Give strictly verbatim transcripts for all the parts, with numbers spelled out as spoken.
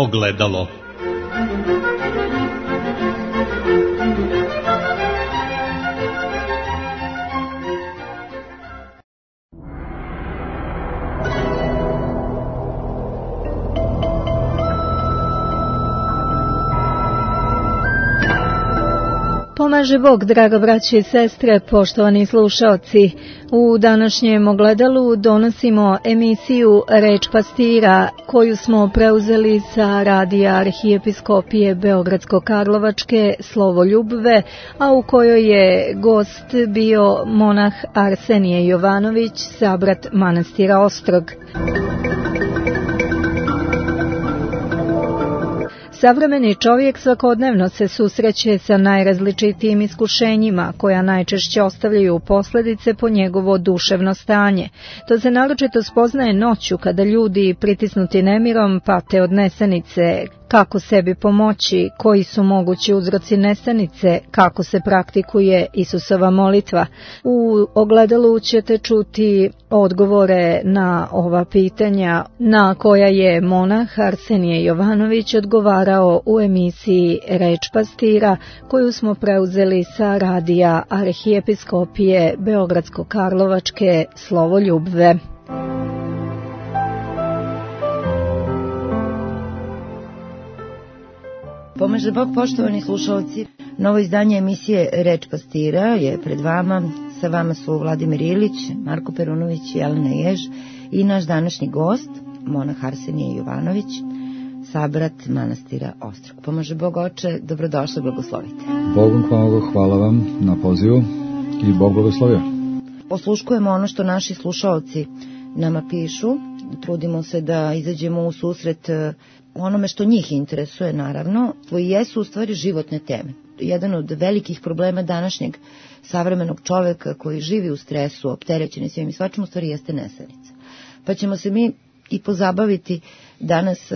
ogledalo. Pomaže Bog, draga braće i sestre, poštovani slušaoci. U današnjem ogledalu donosimo emisiju Reč pastira, koju smo preuzeli sa radija Arhijepiskopije Beogradsko-Karlovačke Slovo Ljubve, a u kojoj je gost bio monah Arsenije Jovanović, sabrat manastira Ostrog. Savremeni čovjek svakodnevno se susreće sa najrazličitijim iskušenjima, koja najčešće ostavljaju posljedice po njegovo duševno stanje. To se naročito spoznaje noću, kada ljudi, pritisnuti nemirom, pate od nesanice. Kako sebi pomoći, koji su mogući uzroci nesanice, kako se praktikuje Isusova molitva. U ogledalu ćete čuti odgovore na ova pitanja, na koja je monah Arsenije Jovanović odgovarao u emisiji Reč pastira, koju smo preuzeli sa radija Arhijepiskopije Beogradsko-Karlovačke Slovo Ljubve. Pomaže Bog, poštovani slušalci. Novo izdanje emisije Reč pastira je pred vama. Sa vama su Vladimir Ilić, Marko Perunović i Jelena Jež i naš današnji gost, monah Arsenije Jovanović, sabrat manastira Ostrog. Pomaže Bog, oče, dobrodošli, blagoslovite. Bogom hvala, hvala vam na pozivu i Bog blagoslovio. Posluškujemo ono što naši slušalci nama pišu. Trudimo se da izađemo u susret onome što njih interesuje, naravno, koji jesu u stvari životne teme. Jedan od velikih problema današnjeg savremenog čoveka koji živi u stresu, opterećen svim i svačim, u stvari jeste nesanica. Pa ćemo se mi i pozabaviti danas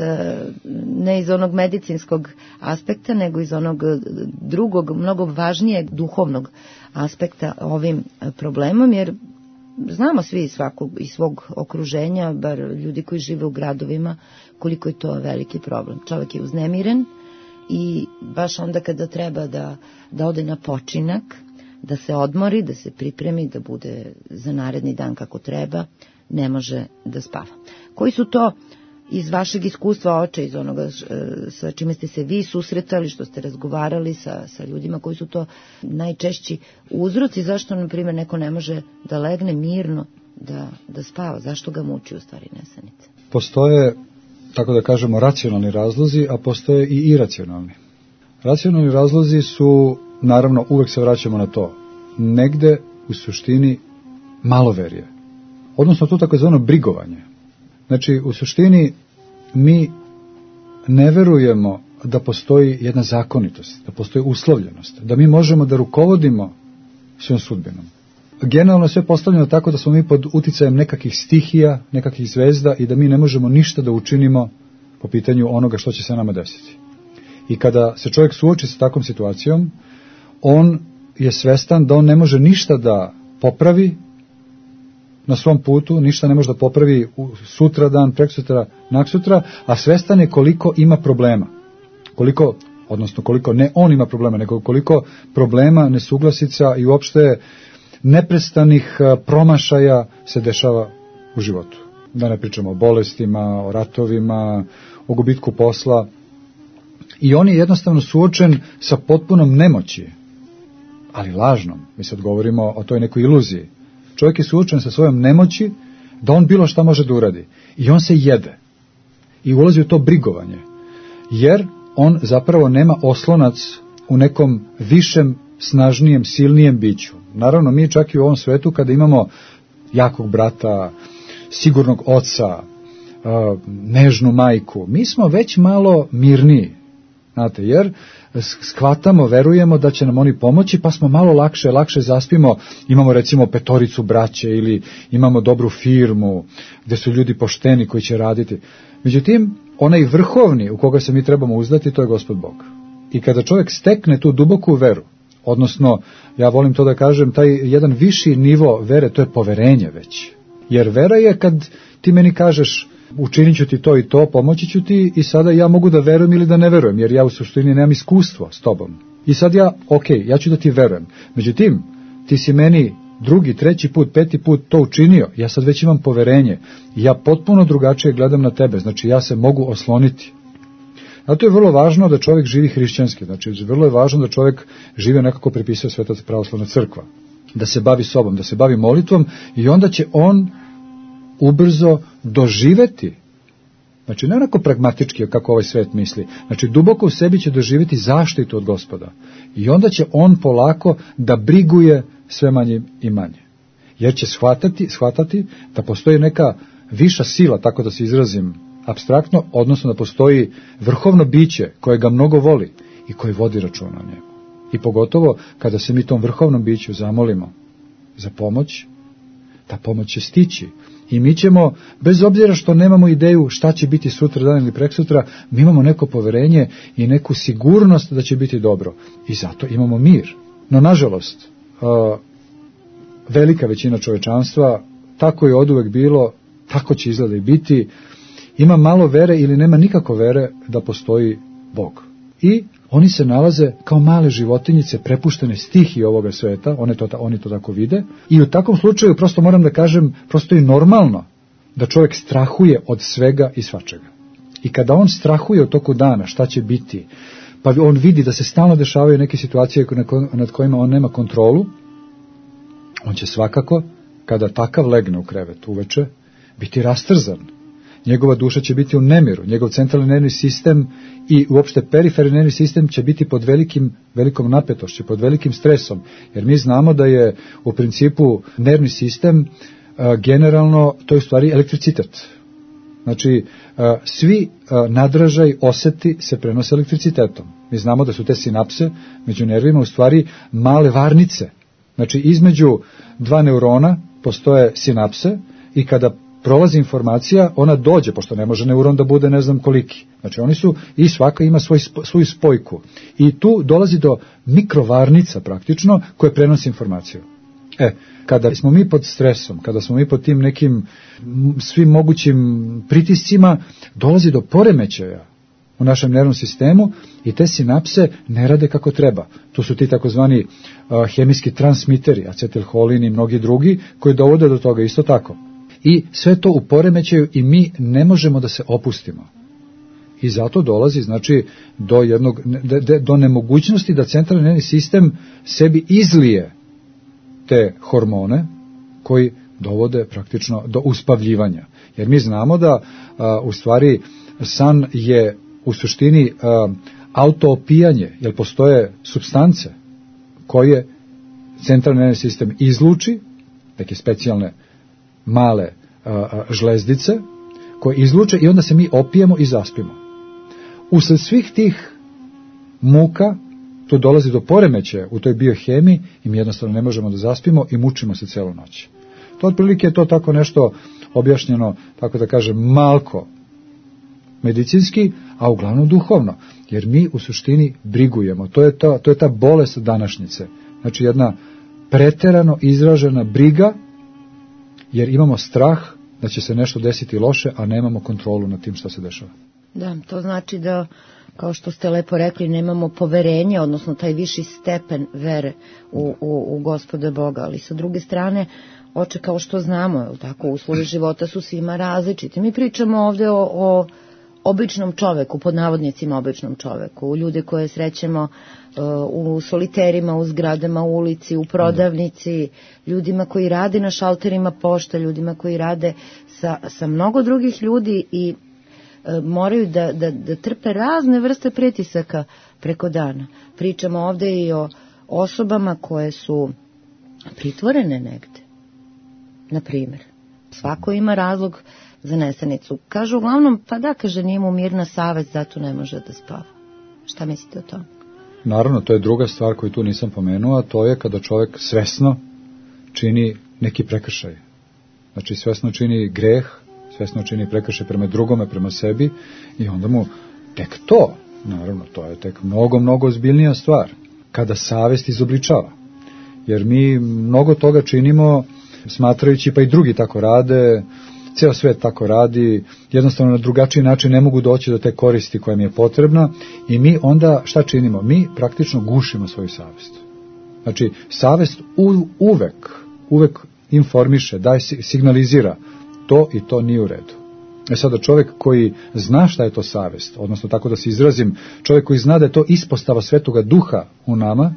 ne iz onog medicinskog aspekta, nego iz onog drugog, mnogo važnijeg duhovnog aspekta ovim problemom, jer znamo svi iz svakog iz svog okruženja, bar ljudi koji žive u gradovima, koliko je to veliki problem. Čovjek je uznemiren i baš onda kada treba da, da ode na počinak, da se odmori, da se pripremi, da bude za naredni dan kako treba, ne može da spava. Koji su to iz vašeg iskustva, oče, iz onoga sa čime ste se vi susretali, što ste razgovarali sa, sa ljudima, koji su to najčešći uzroci, zašto, na primjer, neko ne može da legne mirno da, da spava, zašto ga muči u stvari nesanica? Postoje, tako da kažemo, racionalni razlozi, a postoje i iracionalni. Racionalni razlozi su, naravno, uvek se vraćamo na to, negde u suštini maloverje, odnosno to takozvano brigovanje. Znači, u suštini mi ne verujemo da postoji jedna zakonitost, da postoji uslovljenost, da mi možemo da rukovodimo svojom sudbinom. Generalno sve postavljeno tako da smo mi pod uticajem nekakvih stihija, nekakvih zvezda i da mi ne možemo ništa da učinimo po pitanju onoga što će se nama desiti. I kada se čovjek suoči sa takvom situacijom, on je svestan da on ne može ništa da popravi na svom putu, ništa ne može da popravi sutra dan, preksutra, naksutra, a svestan je koliko ima problema. Koliko, odnosno koliko ne on ima problema, nego koliko problema, nesuglasica i uopšte neprestanih promašaja se dešava u životu. Da ne pričamo o bolestima, o ratovima, o gubitku posla. I on je jednostavno suočen sa potpunom nemoći, ali lažnom. Mi sad govorimo o toj nekoj iluziji. Čovjek je suočen sa svojom nemoći da on bilo šta može da uradi. I on se jede. I ulazi u to brigovanje. Jer on zapravo nema oslonac u nekom višem, snažnijem, silnijem biću. Naravno, mi čak i u ovom svetu kada imamo jakog brata, sigurnog oca, nežnu majku, mi smo već malo mirniji. Znate, jer shvatamo, verujemo da će nam oni pomoći, pa smo malo lakše, lakše zaspimo, imamo recimo petoricu braće ili imamo dobru firmu gdje su ljudi pošteni koji će raditi. Međutim, onaj vrhovni u koga se mi trebamo uzdati, to je Gospod Bog. I kada čovjek stekne tu duboku veru, odnosno, ja volim to da kažem, taj jedan viši nivo vere, to je poverenje već. Jer vera je kad ti meni kažeš, učinit ću ti to i to, pomoći ću ti i sada ja mogu da verujem ili da ne verujem, jer ja u suštini nemam iskustvo s tobom. I sad ja, ok, ja ću da ti verujem. Međutim, ti si meni drugi, treći put, peti put to učinio, ja sad već imam poverenje, ja potpuno drugačije gledam na tebe, znači ja se mogu osloniti. Zato je vrlo važno da čovjek živi hrišćanski, znači vrlo je važno da čovjek živi onako prepisuje Sveta pravoslavna crkva, da se bavi sobom, da se bavi molitvom i onda će on ubrzo doživeti, znači ne onako pragmatički kako ovaj svet misli, znači duboko u sebi će doživeti zaštitu od Gospoda i onda će on polako da briguje sve manje i manje, jer će shvatati, shvatati da postoji neka viša sila, tako da se izrazim apstraktno, odnosno da postoji vrhovno biće koje ga mnogo voli i koji vodi računa o njemu. I pogotovo kada se mi tom vrhovnom biću zamolimo za pomoć, ta pomoć će stići. I mi ćemo, bez obzira što nemamo ideju šta će biti sutra dan ili preksutra, mi imamo neko poverenje i neku sigurnost da će biti dobro. I zato imamo mir. No, nažalost, velika većina čovečanstva, tako je oduvek bilo, tako će izgleda i biti, ima malo vere ili nema nikako vere da postoji Bog. I oni se nalaze kao male životinjice prepuštene stihiji ovoga sveta, oni to, oni to tako vide, i u takvom slučaju, prosto moram da kažem, prosto je normalno da čovjek strahuje od svega i svačega. I kada on strahuje od toku dana, šta će biti, pa on vidi da se stalno dešavaju neke situacije nad kojima on nema kontrolu, on će svakako, kada takav legne u krevet uveče, biti rastrzan. Njegova duša će biti u nemiru, njegov centralni nervni sistem i uopšte periferni nervni sistem će biti pod velikim, velikom napetošću, pod velikim stresom, jer mi znamo da je u principu nervni sistem a, generalno, to je u stvari elektricitet. Znači, a, svi a, nadražaj, oseti se prenose elektricitetom. Mi znamo da su te sinapse među nervima u stvari male varnice. Znači, između dva neurona postoje sinapse i kada prolazi informacija, ona dođe, pošto ne može neuron da bude ne znam koliki. Znači oni su, i svaka ima svoj, svoju spojku. I tu dolazi do mikrovarnica praktično, koje prenosi informaciju. E, kada smo mi pod stresom, kada smo mi pod tim nekim svim mogućim pritiscima, dolazi do poremećaja u našem nervnom sistemu i te sinapse ne rade kako treba. To su ti takozvani uh, hemijski transmiteri, acetilholin i mnogi drugi, koji dovode do toga isto tako. I sve to u poremećaju i mi ne možemo da se opustimo. I zato dolazi, znači, do jednog, do nemogućnosti da centralni nervni sistem sebi izlije te hormone koji dovode praktično do uspavljivanja. Jer mi znamo da a, u stvari san je u suštini a, autoopijanje, jer postoje supstance koje centralni nervni sistem izluči, neke specijalne male a, a, žlezdice koje izluče i onda se mi opijemo i zaspimo. Usled svih tih muka tu dolazi do poremećaja u toj biohemiji i mi jednostavno ne možemo da zaspimo i mučimo se celu noć. To otprilike je to tako nešto objašnjeno, tako da kažem, malko medicinski, a uglavnom duhovno, jer mi u suštini brigujemo. To je ta, to je ta bolest današnjice. Znači jedna preterano izražena briga, jer imamo strah da će se nešto desiti loše, a nemamo kontrolu nad tim što se dešava. Da, to znači da, kao što ste lepo rekli, nemamo poverenje, odnosno taj viši stepen vere u, u, u Gospoda Boga, ali sa druge strane, oče, kao što znamo, je tako, uslovi života su svima različiti. Mi pričamo ovde o, o običnom čoveku, pod navodnicima običnom čoveku, ljude koje srećemo uh, u soliterima, u zgradama, u ulici, u prodavnici, ljudima koji rade na šalterima pošte, ljudima koji rade sa, sa mnogo drugih ljudi i uh, moraju da, da, da trpe razne vrste pritisaka preko dana. Pričamo ovde i o osobama koje su pritvorene negde, na primjer. Svako ima razlog za nesanicu. Kažu uglavnom, pa da, kaže, nije mu mirna savest, zato ne može da spava. Šta mislite o tome? Naravno, to je druga stvar koju tu nisam pomenuo, a to je kada čovjek svesno čini neki prekršaj. Znači, svesno čini greh, svesno čini prekršaj prema drugome, prema sebi, i onda mu tek to, naravno, to je tek mnogo, mnogo ozbiljnija stvar, kada savest izobličava. Jer mi mnogo toga činimo, smatrajući, pa i drugi tako rade, ceo svet tako radi, jednostavno na drugačiji način ne mogu doći do te koristi koja mi je potrebna i mi onda šta činimo? Mi praktično gušimo svoju savest. Znači, savest u, uvek, uvek informiše, daje, signalizira to i to nije u redu. E sada čovjek koji zna šta je to savest, odnosno tako da se izrazim, čovjek koji zna da je to ispostava Svetoga Duha u nama,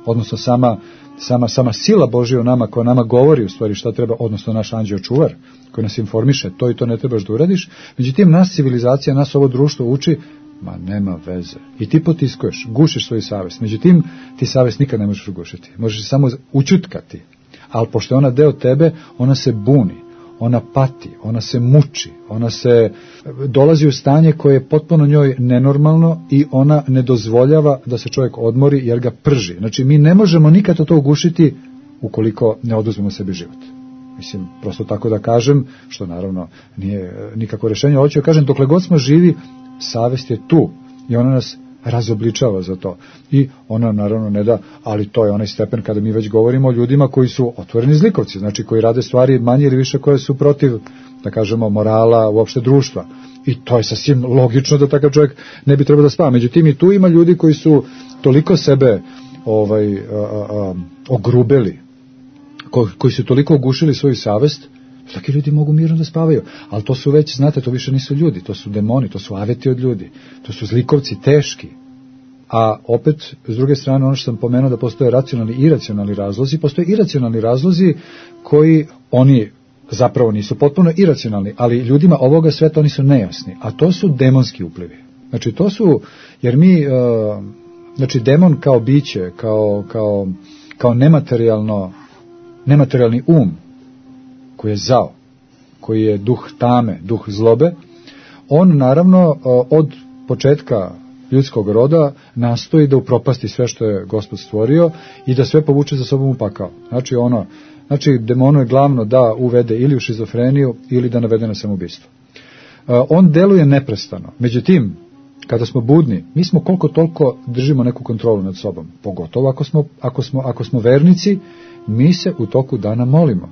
odnosno sama, sama, sama sila Božja u nama koja nama govori u stvari šta treba, odnosno naš anđeo čuvar koji nas informiše, to i to ne trebaš da uradiš, međutim nas civilizacija, nas ovo društvo uči, ma nema veze. I ti potiskuješ, gušiš svoju savest, međutim ti savest nikad ne možeš ugušiti, možeš samo učutkati, ali pošto je ona deo tebe, ona se buni, ona pati, ona se muči, ona se dolazi u stanje koje je potpuno njoj nenormalno i ona ne dozvoljava da se čovjek odmori jer ga prži. Znači mi ne možemo nikad to ugušiti ukoliko ne oduzmemo sebi život. Mislim, prosto tako da kažem, što naravno nije nikako rješenje, hoću da kažem, dokle god smo živi, savest je tu i ona nas razobličava za to. I ona nam naravno ne da, ali to je onaj stepen kada mi već govorimo o ljudima koji su otvoreni zlikovci, znači koji rade stvari manje ili više koje su protiv, da kažemo, morala, uopšte društva. I to je sasvim logično da takav čovjek ne bi trebao da spava. Međutim, i tu ima ljudi koji su toliko sebe ovaj, a, a, ogrubeli, ko, koji su toliko ugušili svoju savest, taki ljudi mogu mirno da spavaju, ali to su već, znate, to više nisu ljudi, to su demoni, to su aveti od ljudi, to su zlikovci teški. A opet, s druge strane, ono što sam pomenuo da postoje racionalni i iracionalni razlozi, postoje iracionalni razlozi koji oni zapravo nisu potpuno iracionalni, ali ljudima ovoga sveta oni su nejasni, a to su demonski uplivi. Znači to su, jer mi, uh, znači demon kao biće, kao, kao, kao nematerijalno, nematerijalni um, koji je zao, koji je duh tame, duh zlobe, on naravno od početka ljudskog roda nastoji da upropasti sve što je Gospod stvorio i da sve povuče za sobom u pakao. Znači ono, znači demonu je glavno da uvede ili u šizofreniju ili da navede na samoubistvo. On deluje neprestano. Međutim, kada smo budni, mi smo koliko toliko držimo neku kontrolu nad sobom. Pogotovo ako smo, ako smo, ako smo vernici, mi se u toku dana molimo.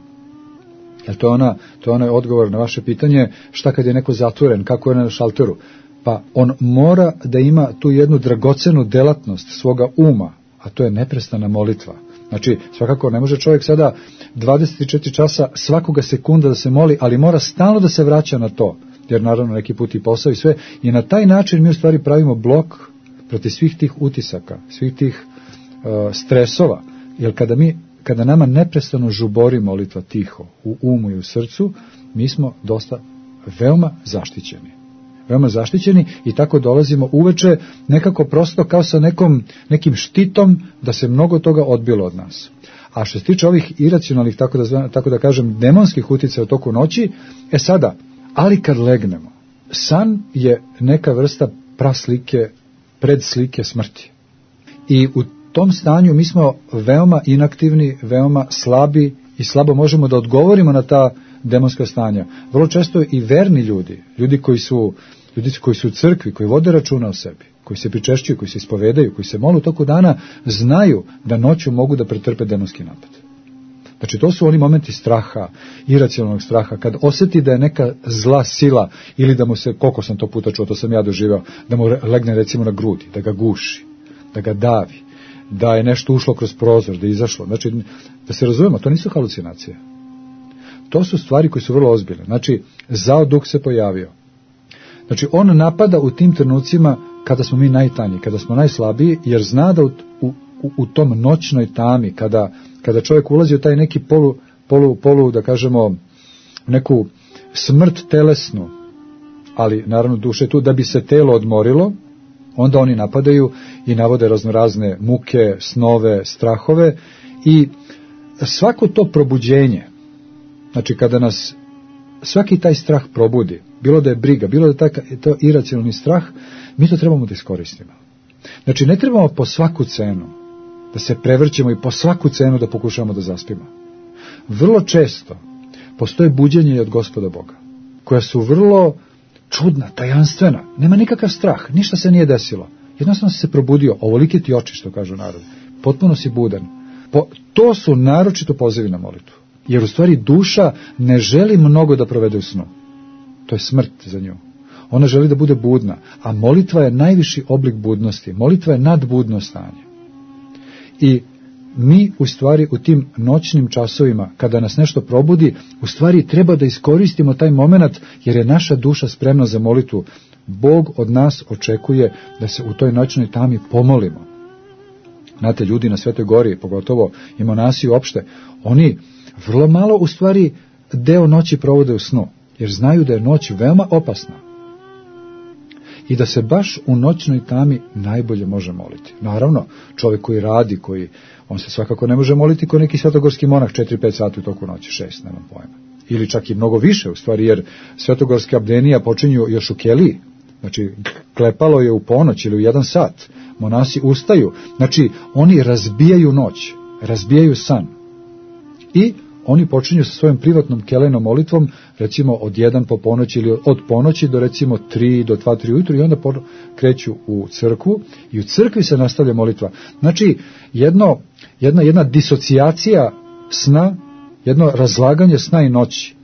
Jer to je, ona, to je onaj odgovor na vaše pitanje, šta kad je neko zatvoren, kako je na šalteru. Pa on mora da ima tu jednu dragocenu delatnost svoga uma, a to je neprestana molitva. Znači, svakako ne može čovjek sada dvadeset četiri časa svakoga sekunda da se moli, ali mora stalno da se vraća na to, jer naravno neki put i posao i sve. I na taj način mi u stvari pravimo blok protiv svih tih utisaka, svih tih uh, stresova. Jer kada mi Kada nama neprestano žubori molitva tiho u umu i u srcu, mi smo dosta veoma zaštićeni. Veoma zaštićeni i tako dolazimo uveče nekako prosto kao sa nekom, nekim štitom da se mnogo toga odbilo od nas. A što se tiče ovih iracionalnih, tako da, tako da kažem, demonskih uticaja u toku noći, e sada, ali kad legnemo, san je neka vrsta praslike, predslike smrti. I u U tom stanju mi smo veoma inaktivni, veoma slabi i slabo možemo da odgovorimo na ta demonska stanja. Vrlo često i verni ljudi, ljudi koji su, ljudi koji su u crkvi, koji vode računa o sebi, koji se pričešćuju, koji se ispovedaju, koji se mole u toku dana, znaju da noću mogu da pretrpe demonski napad. Znači to su oni momenti straha, iracionalnog straha, kad osjeti da je neka zla sila ili da mu se, koliko sam to puta čuo, to sam ja doživao, da mu legne recimo na grudi, da ga guši, da ga davi, da je nešto ušlo kroz prozor, da je izašlo. Znači, da se razumemo, to nisu halucinacije. To su stvari koje su vrlo ozbiljne. Znači, zao duh se pojavio. Znači, on napada u tim trenucima kada smo mi najtanji, kada smo najslabiji, jer zna da u, u, u tom noćnoj tami, kada, kada čovjek ulazi u taj neki polu, polu, polu, da kažemo, neku smrt telesnu, ali naravno duše tu, da bi se telo odmorilo, onda oni napadaju i navode raznorazne muke, snove, strahove i svako to probuđenje, znači kada nas svaki taj strah probudi, bilo da je briga, bilo da je taj, to iracionalni strah, mi to trebamo da iskoristimo. Znači ne trebamo po svaku cenu da se prevrćemo i po svaku cenu da pokušamo da zaspimo. Vrlo često postoje buđenje i od Gospoda Boga, koja su vrlo čudna, tajanstvena, nema nikakav strah, ništa se nije desilo. Jednostavno si se probudio, ovolike ti oči, što kažu narod. Potpuno si budan. Po, to su naročito pozivi na molitvu. Jer u stvari duša ne želi mnogo da provede u snu. To je smrt za nju. Ona želi da bude budna, a molitva je najviši oblik budnosti. Molitva je nadbudno stanje. I mi u stvari u tim noćnim časovima, kada nas nešto probudi, u stvari treba da iskoristimo taj moment, jer je naša duša spremna za molitvu. Bog od nas očekuje da se u toj noćnoj tami pomolimo. Znate, ljudi na Svetoj Gori, pogotovo i monasi uopšte, oni vrlo malo u stvari deo noći provode u snu, jer znaju da je noć veoma opasna. I da se baš u noćnoj tami najbolje može moliti. Naravno, čovjek koji radi, koji, on se svakako ne može moliti kao neki svetogorski monah četiri pet sati u toku noći, šest, nemam pojma. Ili čak i mnogo više, u stvari, jer svetogorske abdenija počinju još u keliji. Znači, klepalo je u ponoć ili u jedan sat. Monasi ustaju. Znači, oni razbijaju noć, razbijaju san. I oni počinju sa svojom privatnom kelejnom molitvom, recimo od jedan po ponoći ili od ponoći do recimo tri do dva tri ujutru, i onda kreću u crkvu i u crkvi se nastavlja molitva. Znači, jedno, jedna, jedna disocijacija sna, jedno razlaganje sna i noći,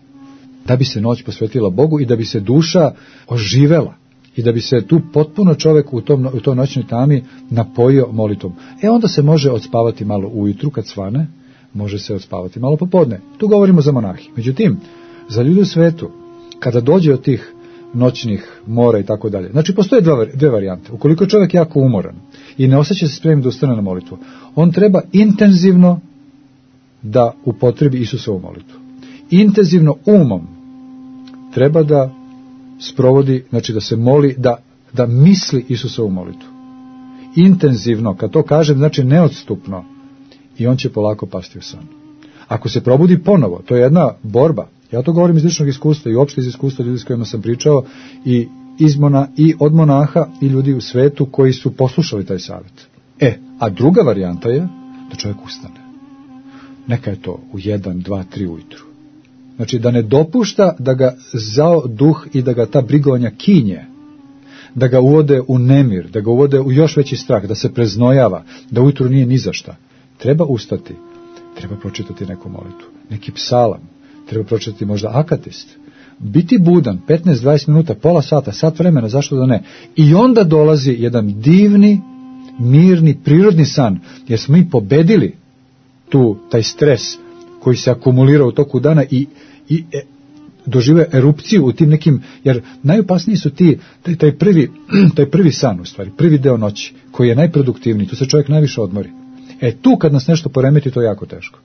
da bi se noć posvetila Bogu i da bi se duša oživela i da bi se tu potpuno čovjek u, tom, u toj noćnoj tami napojio molitvom. E onda se može odspavati malo ujutru kad svane, može se odspavati malo popodne. Tu govorimo za monahi. Međutim, za ljudi u svetu, kada dođe od tih noćnih mora i tako dalje, znači postoje dve, dve varijante. Ukoliko je čovjek jako umoran i ne osjeća se spremnim da ustane na molitvu, on treba intenzivno da upotrebi Isusovu molitvu. Intenzivno umom treba da sprovodi, znači da se moli, da, da misli Isusovu molitvu. Intenzivno, kad to kažem, znači neodstupno, i on će polako pasti u san. Ako se probudi ponovo, to je jedna borba. Ja to govorim iz ličnog iskustva i uopšte iz iskustva ljudi s kojima sam pričao i, iz mona, i od monaha i ljudi u svetu koji su poslušali taj savjet. E, a druga varijanta je da čovjek ustane. Neka je to u jedan, dva, tri ujutru. Znači da ne dopušta da ga zao duh i da ga ta brigovanja kinje, da ga uvode u nemir, da ga uvode u još veći strah, da se preznojava, da ujutru nije ni za šta. Treba ustati, treba pročitati neku molitvu, neki psalam, treba pročitati možda akatist, biti budan petnaest dvadeset minuta, pola sata, sat vremena, zašto da ne? I onda dolazi jedan divni, mirni, prirodni san, jer smo mi pobedili tu, taj stres koji se akumulira u toku dana i, i e, dožive erupciju u tim nekim, jer najopasniji su ti, taj, taj, prvi, taj prvi san u stvari, prvi deo noći, koji je najproduktivniji, tu se čovjek najviše odmori. E tu kad nas nešto poremeti, to je jako teško.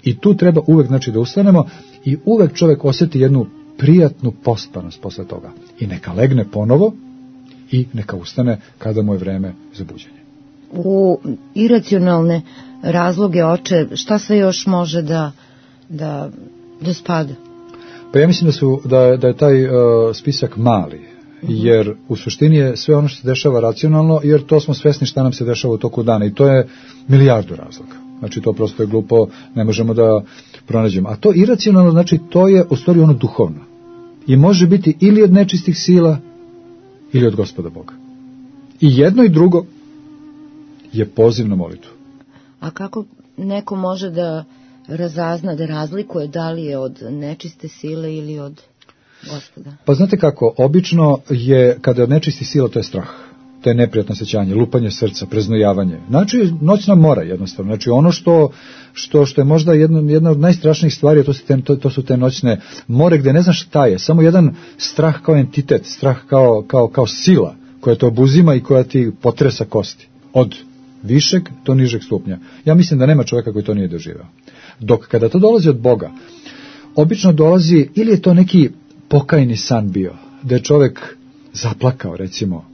I tu treba uvek, znači, da ustanemo i uvek čovjek osjeti jednu prijatnu pospanost posle toga. I neka legne ponovo i neka ustane kada mu je vreme za buđenje. U iracionalne razloge, oče, šta sve još može da, da, da spada? Pa ja mislim da, su, da, da je taj uh, spisak mali. Jer u suštini je sve ono što se dešava racionalno, jer to smo svesni šta nam se dešava u toku dana i to je milijardu razloga. Znači to prosto je glupo, ne možemo da pronađemo. A to iracionalno, znači to je u stvari ono duhovno. I može biti ili od nečistih sila ili od Gospoda Boga. I jedno i drugo je poziv na molitvu. A kako neko može da razazna, da razlikuje da li je od nečiste sile ili od Gospoda? Pa znate kako, obično je, kada je od nečistih sila, to je strah, to je neprijatno osjećanje, lupanje srca, preznojavanje. Znači, noćna mora jednostavno. Znači, ono što, što, što je možda jedna, jedna od najstrašnijih stvari, to su, te, to, to su te noćne more gdje ne znaš šta je, samo jedan strah kao entitet, strah kao, kao, kao sila koja te obuzima i koja ti potresa kosti. Od višeg do nižeg stupnja. Ja mislim da nema čovjeka koji to nije doživeo. Dok kada to dolazi od Boga, obično dolazi, ili je to neki pokajni san bio, da je čovjek zaplakao, recimo,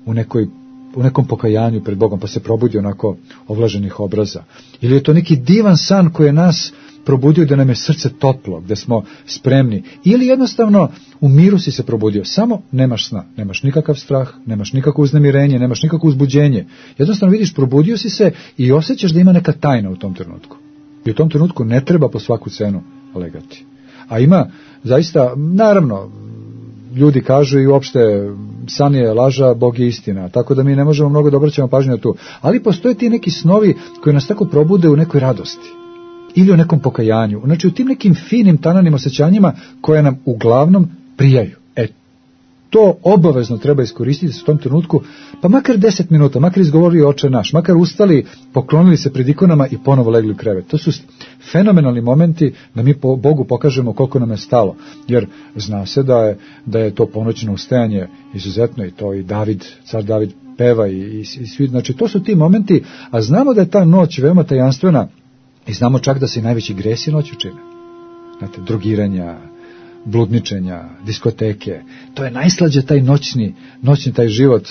u, nekoj, u nekom pokajanju pred Bogom, pa se probudio onako ovlaženih obraza. Ili je to neki divan san koji je nas probudio da nam je srce toplo, gde smo spremni. Ili jednostavno u miru si se probudio, samo nemaš sna, nemaš nikakav strah, nemaš nikakvo uznemirenje, nemaš nikakvo uzbuđenje. Jednostavno vidiš, probudio si se i osjećaš da ima neka tajna u tom trenutku. I u tom trenutku ne treba po svaku cenu legati. A ima, zaista, naravno, ljudi kažu i uopšte san je laža, Bog je istina, tako da mi ne možemo mnogo da obraćamo pažnju na tu. Ali postoje ti neki snovi koji nas tako probude u nekoj radosti. ili o nekom pokajanju. Znači u tim nekim finim tananim osjećanjima koje nam uglavnom prijaju. E, to obavezno treba iskoristiti u tom trenutku, pa makar deset minuta, makar izgovorili Oče naš, makar ustali, poklonili se pred ikonama i ponovo legli u krevet. To su fenomenalni momenti da mi po Bogu pokažemo koliko nam je stalo, jer zna se da je, da je to ponoćno ustajanje izuzetno, i to i David, car David peva i, i, i svi, znači to su ti momenti, a znamo da je ta noć veoma tajanstvena i znamo čak da se i najveći gresi noću čine. Znate, drogiranja, bludničenja, diskoteke, to je najslađe taj noćni, noćni taj život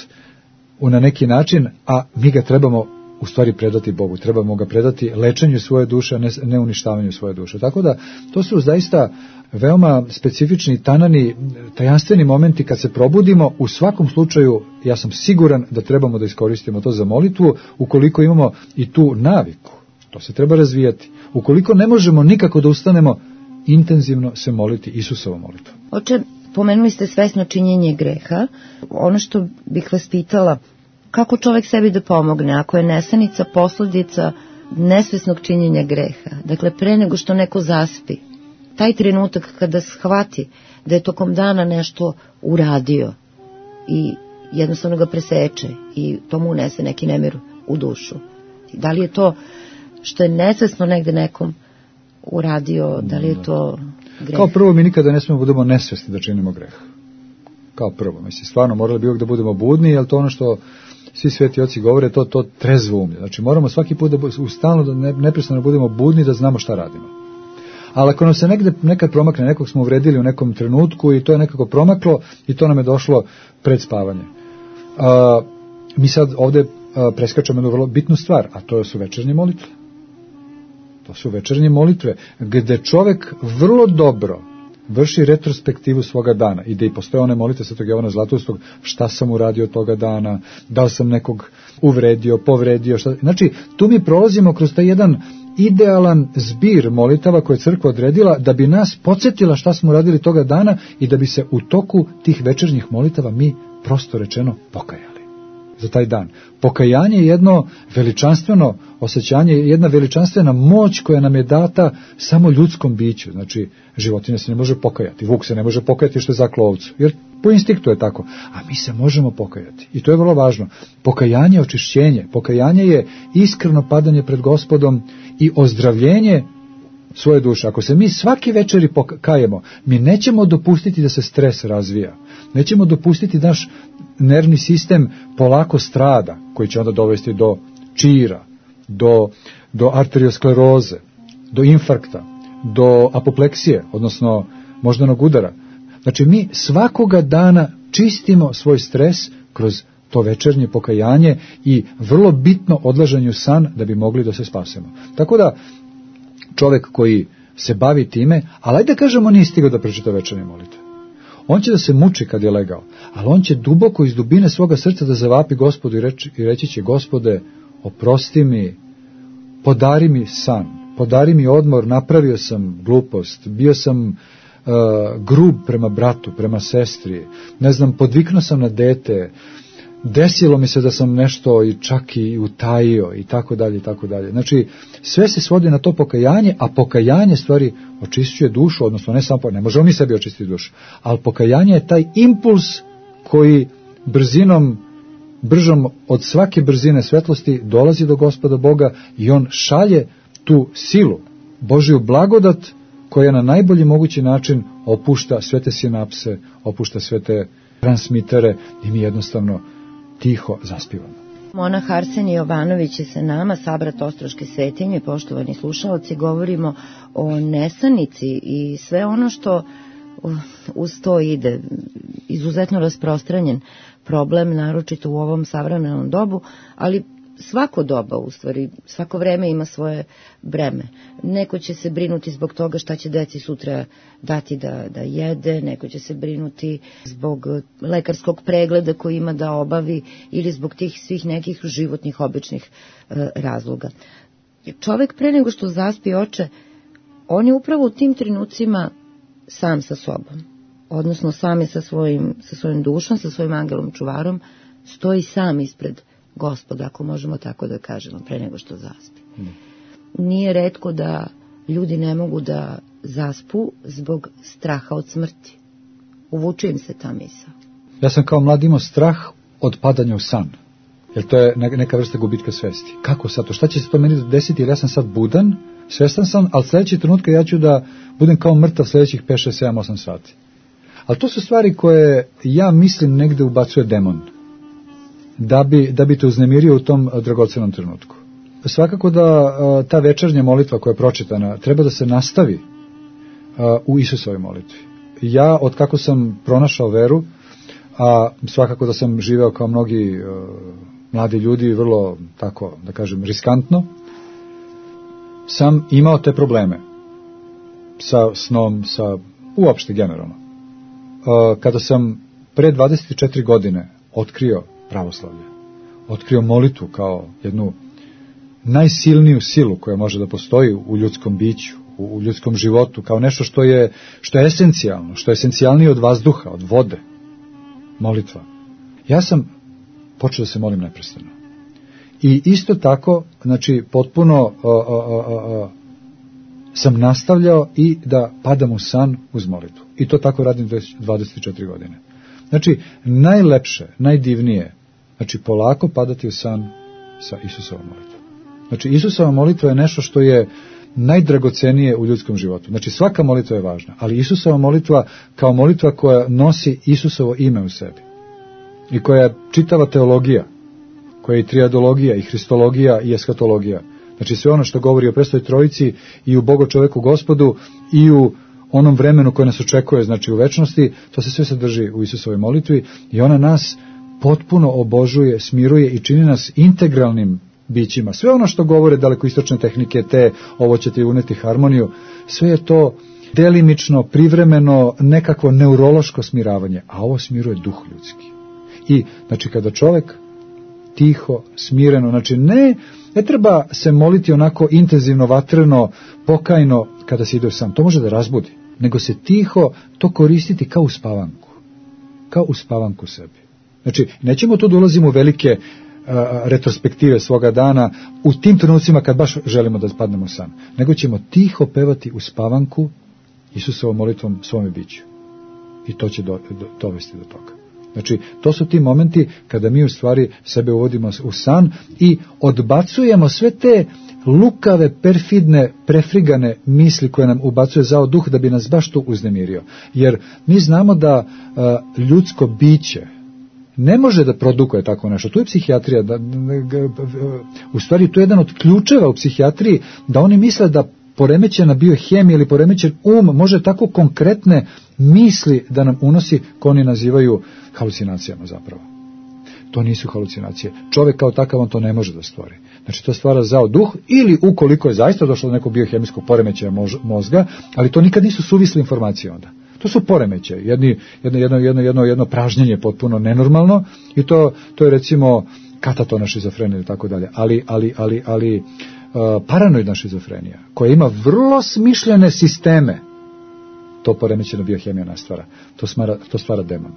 u na neki način, a mi ga trebamo u stvari predati Bogu, trebamo ga predati lečenju svoje duše, ne, ne uništavanju svoje duše. Tako da, to su zaista veoma specifični, tanani, tajanstveni momenti kad se probudimo. U svakom slučaju, ja sam siguran da trebamo da iskoristimo to za molitvu, ukoliko imamo i tu naviku. To se treba razvijati. Ukoliko ne možemo nikako da ustanemo, intenzivno se moliti Isusovom molitvom. Oče, pomenuli ste svesno činjenje greha. Ono što bih vas pitala, kako čovjek sebi da pomogne ako je nesanica posledica nesvesnog činjenja greha? Dakle, pre nego što neko zaspi, taj trenutak kada shvati da je tokom dana nešto uradio i jednostavno ga preseče i to mu unese neki nemir u dušu. Da li je to što je nesvesno negde nekom uradio, da li je to greh? Kao prvo, mi nikada ne smemo budemo nesvesni da činimo greh. Kao prvo, mislim, stvarno morali bi uvijek da budemo budni, jer to ono što svi sveti oci govore, to to trezvo umlje. Znači moramo svaki put da u stalno da ne, neprestano budemo budni, da znamo šta radimo. Ali ako nam se negde nekad promakne, nekog smo uvredili u nekom trenutku i to je nekako promaklo i to nam je došlo pred spavanje. A, mi sad ovde a, preskačemo jednu vrlo bitnu stvar, a to su večernje molitve. To su večernje molitve, gde čovek vrlo dobro vrši retrospektivu svoga dana i da i postoje one molitve Svetog Jovana Zlatoustog, šta sam uradio toga dana, da li sam nekog uvredio, povredio, šta... Znači, tu mi prolazimo kroz taj jedan idealan zbir molitava koje je crkva odredila da bi nas podsjetila šta smo uradili toga dana i da bi se u toku tih večernjih molitava mi prosto rečeno pokajali za taj dan. Pokajanje je jedno veličanstveno osjećanje, jedna veličanstvena moć koja nam je data samo ljudskom biću. Znači, životinja se ne može pokajati, vuk se ne može pokajati što je zaklo ovcu, jer po instinktu je tako, a mi se možemo pokajati. I to je vrlo važno. Pokajanje je očišćenje, pokajanje je iskreno padanje pred Gospodom i ozdravljenje svoje duše. Ako se mi svaki večeri pokajemo, mi nećemo dopustiti da se stres razvija. Nećemo dopustiti da naš nervni sistem polako strada, koji će onda dovesti do čira, do, do arterioskleroze, do infarkta, do apopleksije, odnosno moždanog udara. Znači mi svakoga dana čistimo svoj stres kroz to večernje pokajanje i vrlo bitno odlaženje u san da bi mogli da se spasemo. Tako da čovjek koji se bavi time, ali ajde da kažemo nije stigao da pročita večernje molitve. On će da se muči kad je legao, ali on će duboko iz dubine svoga srca da zavapi Gospodu i reći, i reći će: Gospode, oprosti mi, podari mi san, podari mi odmor, napravio sam glupost, bio sam uh, grub prema bratu, prema sestri, ne znam, podviknuo sam na dete, desilo mi se da sam nešto i čak i utajio i tako dalje i tako dalje. Znači, sve se svodi na to pokajanje, a pokajanje stvari očišćuje dušu, odnosno ne samo, ne može on ni sebi očistiti dušu, ali pokajanje je taj impuls koji brzinom, bržom od svake brzine svetlosti dolazi do Gospoda Boga i on šalje tu silu, Božju blagodat koja na najbolji mogući način opušta sve te sinapse, opušta sve te transmitere i mi jednostavno tiho zaspivamo. Monah Arsenije Jovanović je sa nama, sabrat Ostroške svetinje. Poštovani slušaoci, govorimo o nesanici i sve ono što uz to ide. Izuzetno rasprostranjen problem, naročito u ovom savremenom dobu, ali svako doba, u stvari, svako vreme ima svoje breme. Neko će se brinuti zbog toga šta će deci sutra dati da, da jede, neko će se brinuti zbog lekarskog pregleda koji ima da obavi ili zbog tih svih nekih životnih običnih e, razloga. Čovek pre nego što zaspi, oče, on je upravo u tim trenucima sam sa sobom, odnosno sam je sa svojim, sa svojim dušom, sa svojim angelom čuvarom, stoji sam ispred Gospoda, ako možemo tako da kažemo, pre nego što zaspi. Nije retko da ljudi ne mogu da zaspu zbog straha od smrti. Uvuče im se ta misao. Ja sam kao mlad imao strah od padanja u san. Jer to je neka vrsta gubitka svesti. Kako sad to? Šta će se to meni desiti? Jer ja sam sad budan, svestan sam, ali sljedeći trenutka ja ću da budem kao mrtav sljedećih pet, šest, sedam, osam sati. Ali to su stvari koje ja mislim negde ubacuje demon. Da bi, da bi te uznemirio u tom dragocenom trenutku. Svakako da ta večernja molitva koja je pročitana treba da se nastavi u Isusovoj molitvi. Ja, od kako sam pronašao veru, a svakako da sam živeo kao mnogi uh, mladi ljudi, vrlo, tako da kažem, riskantno, sam imao te probleme sa snom, sa uopšte generalno. Uh, kada sam pre dvadeset četiri godine otkrio pravoslavlje, otkrio molitvu kao jednu najsilniju silu koja može da postoji u ljudskom biću, u ljudskom životu, kao nešto što je, što je esencijalno, što je esencijalnije od vazduha, od vode, molitva. Ja sam počeo da se molim neprestano. I isto tako, znači, potpuno uh, uh, uh, sam nastavljao i da padam u san uz molitvu. I to tako radim dvadeset četiri godine. Znači, najlepše, najdivnije, znači, polako padati u san sa Isusovom molitvom. Znači, Isusova molitva je nešto što je najdragocenije u ljudskom životu. Znači, svaka molitva je važna, ali Isusova molitva kao molitva koja nosi Isusovo ime u sebi i koja je čitava teologija, koja je i triadologija, i hristologija, i eskatologija. Znači, sve ono što govori o Presvetoj Trojici i u Bogu čoveku Gospodu i u onom vremenu koje nas očekuje, znači u večnosti, to se sve sadrži u Isusovoj molitvi i ona nas potpuno obožuje, smiruje i čini nas integralnim bićima. Sve ono što govore dalekoistočne tehnike, te ovo će ti uneti harmoniju, sve je to delimično, privremeno, nekakvo neurološko smiravanje, a ovo smiruje duh ljudski. I, znači, kada čovjek tiho, smireno, znači ne, ne treba se moliti onako intenzivno, vatreno, pokajno kada se ide u san, to može da razbudi, nego se tiho to koristiti kao uspavanku, kao uspavanku sebi. Znači, nećemo tu da ulazimo u velike retrospektive svoga dana u tim trenucima kad baš želimo da spadnemo u san, nego ćemo tiho pevati u spavanku Isusovom molitvom svome biću. I to će do, do, dovesti do toga. Znači, to su ti momenti kada mi u stvari sebe uvodimo u san i odbacujemo sve te lukave, perfidne, prefrigane misli koje nam ubacuje zao duh da bi nas baš tu uznemirio. Jer mi znamo da uh, ljudsko biće ne može da produkuje tako nešto. Tu je psihijatrija, da, u stvari tu je jedan od ključeva u psihijatriji, da oni misle da poremećena biohemija ili poremećen um može tako konkretne misli da nam unosi, ko oni nazivaju halucinacijama zapravo. To nisu halucinacije. Čovjek kao takav on to ne može da stvori. Znači to stvara zao duh ili ukoliko je zaista došlo do nekog biohemijskog poremećaja mozga, ali to nikad nisu suvisle informacije onda. To su poremećaji, jedni, jedno, jedno, jedno, jedno, jedno pražnjenje potpuno nenormalno i to, to je recimo katatona šizofrenija ili tako dalje, ali, ali, ali, ali uh, paranoidna šizofrenija koja ima vrlo smišljene sisteme, to poremećena biohemija nastvara, to, smara, to stvara demon.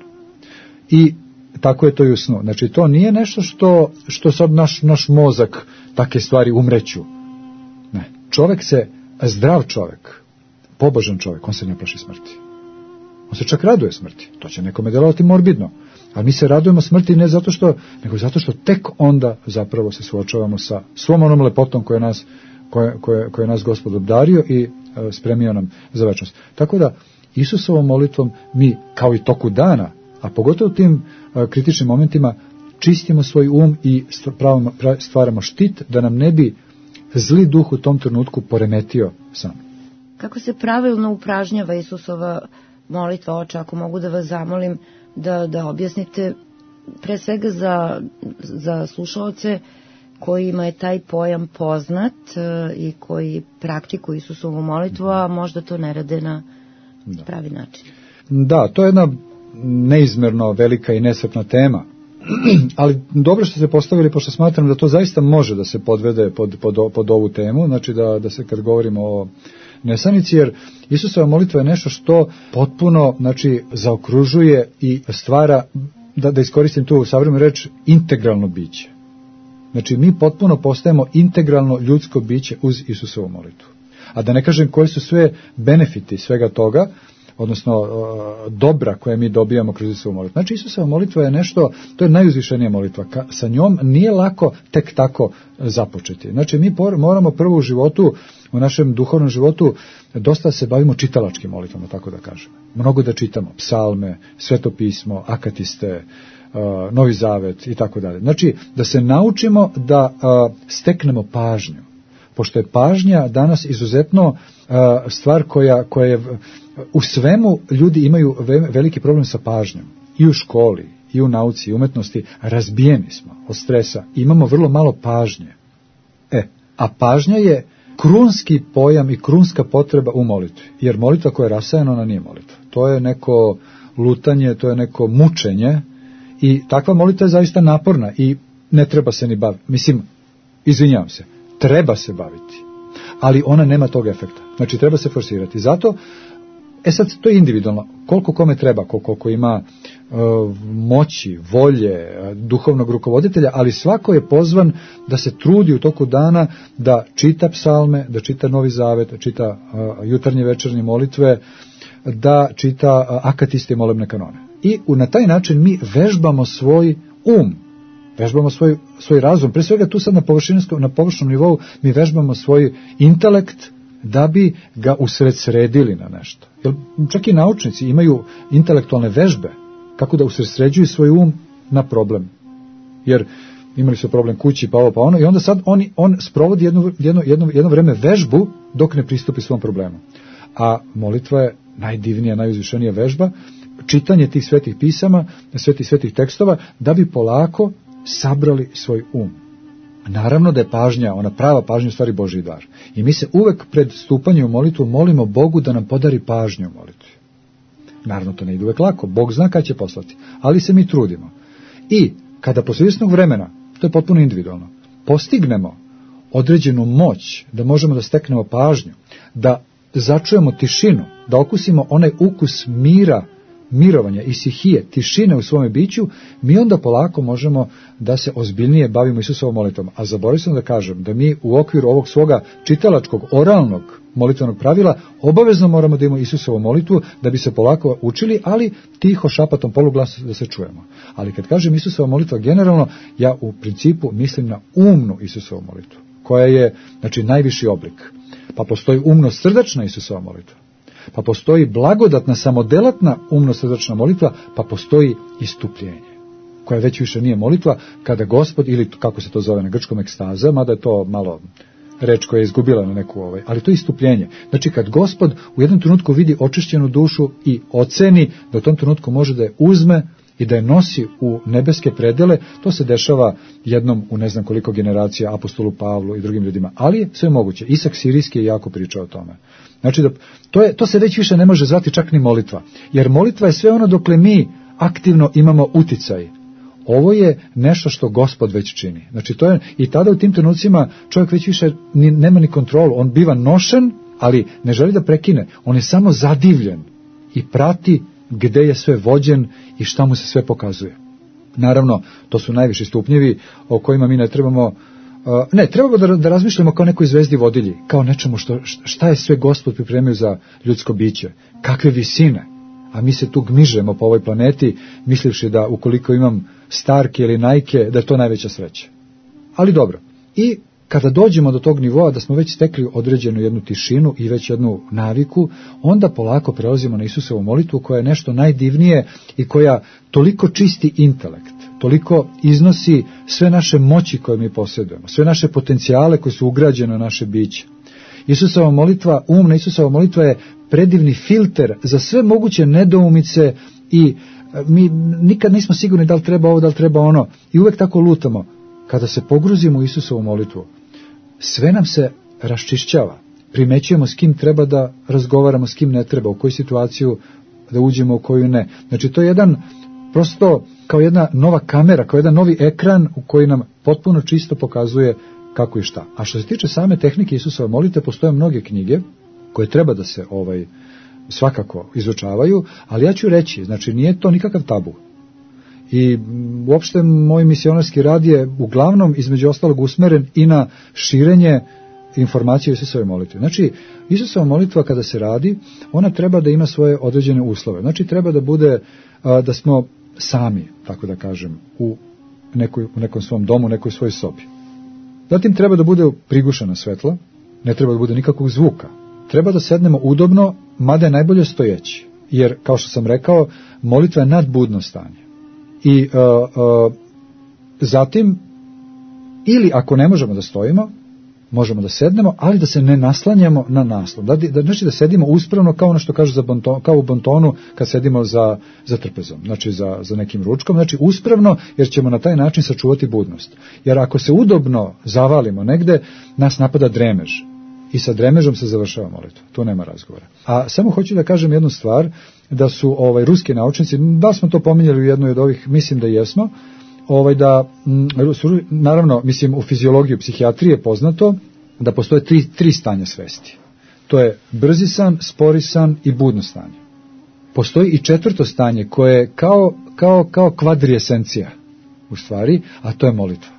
I tako je to i u snu. Znači to nije nešto što, što sad naš, naš mozak takve stvari umreću. Ne. Čovjek se, zdrav čovjek, pobožan čovjek, on se ne plaši smrti. On se čak raduje smrti. To će nekome delovati morbidno. Ali mi se radujemo smrti ne zato što, nego zato što tek onda zapravo se suočavamo sa svom onom lepotom koje nas, koje, koje, koje nas Gospod obdario i e, spremio nam za večnost. Tako da Isusovom molitvom mi kao i toku dana, a pogotovo u tim e, kritičnim momentima, čistimo svoj um i stvaramo štit da nam ne bi zli duh u tom trenutku poremetio san. Kako se pravilno upražnjava Isusova molitva, oče, ako mogu da vas zamolim da, da objasnite pre svega za, za slušaoce kojima je taj pojam poznat e, i koji praktikuju Isusovu molitvu, a možda to ne rade na da. pravi način. Da, to je jedna neizmerno velika i nesretna tema, ali dobro što ste postavili, pošto smatram da to zaista može da se podvede pod, pod, pod ovu temu, znači da, da se kad govorimo o nesanici, jer Isusova molitva je nešto što potpuno, znači, zaokružuje i stvara, da, da iskoristim tu savremenu reč, integralno biće. Znači, mi potpuno postajemo integralno ljudsko biće uz Isusovu molitvu. A da ne kažem koji su sve benefiti svega toga, odnosno dobra koje mi dobijamo kroz Isusovu molitvu. Znači Isusova molitva je nešto, to je najuzvišenija molitva. Ka, sa njom nije lako tek tako započeti. Znači mi por, moramo prvo u životu, u našem duhovnom životu, dosta se bavimo čitalačkim molitvama, tako da kažem. Mnogo da čitamo, psalme, sveto pismo, akatiste, Novi Zavet i tako dalje. Znači da se naučimo da steknemo pažnju. Pošto je pažnja danas izuzetno stvar koja, koja je u svemu, ljudi imaju veliki problem sa pažnjom. I u školi, i u nauci, i umetnosti, razbijeni smo od stresa. Imamo vrlo malo pažnje. E, a pažnja je krunski pojam i krunska potreba u molitvi. Jer molitva koja je rasajana, ona nije molitva. To je neko lutanje, to je neko mučenje i takva molitva je zaista naporna i ne treba se ni baviti. Mislim, izvinjavam se, treba se baviti, ali ona nema tog efekta. Znači, treba se forsirati. Zato, e sad, to je individualno. Koliko kome treba, koliko ima e, moći, volje, duhovnog rukovoditelja, ali svako je pozvan da se trudi u toku dana da čita psalme, da čita Novi Zavet, da čita e, jutarnje večernje molitve, da čita e, akatiste i molebne kanone. I na taj način mi vežbamo svoj um, vežbamo svoj, svoj razum. Pre svega tu sad na, na površnom nivou mi vežbamo svoj intelekt da bi ga usredsredili na nešto. Jer čak i naučnici imaju intelektualne vežbe kako da usredsređuju svoj um na problem. Jer imali su problem kući, pa ovo, pa ono, i onda sad on, on sprovodi jedno, jedno, jedno, jedno vreme vežbu dok ne pristupi svom problemu. A molitva je najdivnija, najuzvišenija vežba, čitanje tih svetih pisama, svetih svetih tekstova, da bi polako sabrali svoj um. Naravno da je pažnja, ona prava pažnja u stvari Božji dar. I mi se uvek pred stupanjem u molitvu molimo Bogu da nam podari pažnju u molitvi. Naravno to ne ide uvek lako, Bog zna kada će poslati, ali se mi trudimo. I kada posle izvesnog vremena, to je potpuno individualno, postignemo određenu moć, da možemo da steknemo pažnju, da začujemo tišinu, da okusimo onaj ukus mira, mirovanja i sihije, tišine u svome biću, mi onda polako možemo da se ozbiljnije bavimo Isusovom molitvom. A zaboravio sam da kažem da mi u okviru ovog svoga čitalačkog, oralnog molitvenog pravila obavezno moramo da imamo Isusovu molitvu da bi se polako učili, ali tiho, šapatom, poluglasom da se čujemo. Ali kad kažem Isusova molitva generalno, ja u principu mislim na umnu Isusovu molitvu, koja je, znači, najviši oblik. Pa postoji umno-srdačna Isusova molitva. Pa postoji blagodatna, samodelatna umno-srdačna molitva, pa postoji istupljenje, koja već više nije molitva, kada Gospod, ili kako se to zove na grčkom, ekstaza, mada je to malo reč koja je izgubila na neku ovaj, ali to je istupljenje. Znači kad Gospod u jednom trenutku vidi očišćenu dušu i oceni da u tom trenutku može da je uzme i da je nosi u nebeske predele, to se dešava jednom u ne znam koliko generacija apostolu Pavlu i drugim ljudima, ali sve moguće. Isak Sirijski je jako pričao o tome. Znači da to, je, to se već više ne može zvati čak ni molitva, jer molitva je sve ono dokle mi aktivno imamo uticaj. Ovo je nešto što Gospod već čini. Znači to je, i tada u tim trenucima čovjek već više ni, nema ni kontrolu, on biva nošen, ali ne želi da prekine, on je samo zadivljen i prati gde je sve vođen i šta mu se sve pokazuje. Naravno, to su najviši stupnjevi o kojima mi ne trebamo, uh, ne, trebamo da, da razmišljamo kao nekoj zvezdi vodilji, kao nečemu što, šta je sve Gospod pripremio za ljudsko biće, kakve visine, a mi se tu gmižemo po ovoj planeti, mislivši da ukoliko imam Starke ili Nike, da je to najveća sreća. Ali dobro, i kada dođemo do tog nivoa da smo već stekli određenu jednu tišinu i već jednu naviku, onda polako prelazimo na Isusovu molitvu koja je nešto najdivnije i koja toliko čisti intelekt, toliko iznosi sve naše moći koje mi posjedujemo, sve naše potencijale koje su ugrađene u naše biće. Isusova molitva, umna Isusova molitva je predivni filter za sve moguće nedoumice i mi nikad nismo sigurni da li treba ovo, da li treba ono i uvek tako lutamo. Kada se pogruzimo u Isusovu molitvu, sve nam se raščišćava. Primećujemo s kim treba da razgovaramo, s kim ne treba, u koju situaciju da uđemo, u koju ne. Znači to je jedan, prosto kao jedna nova kamera, kao jedan novi ekran u koji nam potpuno čisto pokazuje kako i šta. A što se tiče same tehnike Isusove molitve, postoje mnoge knjige koje treba da se ovaj svakako izučavaju, ali ja ću reći, znači nije to nikakav tabu. I uopšte moj misionarski rad je uglavnom između ostalog usmeren i na širenje informacije o Isusovoj molitvi. Znači, Isusova molitva kada se radi, ona treba da ima svoje određene uslove. Znači, treba da bude, da smo sami, tako da kažem, u, nekoj, u nekom svom domu, u nekoj svojoj sobi. Zatim treba da bude prigušena svetla, ne treba da bude nikakvog zvuka. Treba da sednemo udobno, mada je najbolje stojeći. Jer, kao što sam rekao, molitva je nadbudno stanje. I uh, uh, zatim, ili ako ne možemo da stojimo, možemo da sednemo, ali da se ne naslanjamo na naslon. Da, da, znači da sedimo uspravno kao ono što kažu za bonton, kao u bontonu kad sedimo za, za trpezom, znači za, za nekim ručkom, znači uspravno jer ćemo na taj način sačuvati budnost. Jer ako se udobno zavalimo negde, nas napada dremež. I sa dremežom se završava molitva. Tu nema razgovora. A samo hoću da kažem jednu stvar, da su ovaj ruski naučnici, da smo to pominjali u jednoj od ovih, mislim da jesmo, ovaj da, su, naravno, mislim u fiziologiji, u psihijatriji je poznato da postoje tri, tri stanja svesti. To je brzi san, spori san i budno stanje. Postoji i četvrto stanje koje je kao, kao, kao kvadrijesencija u stvari, a to je molitva.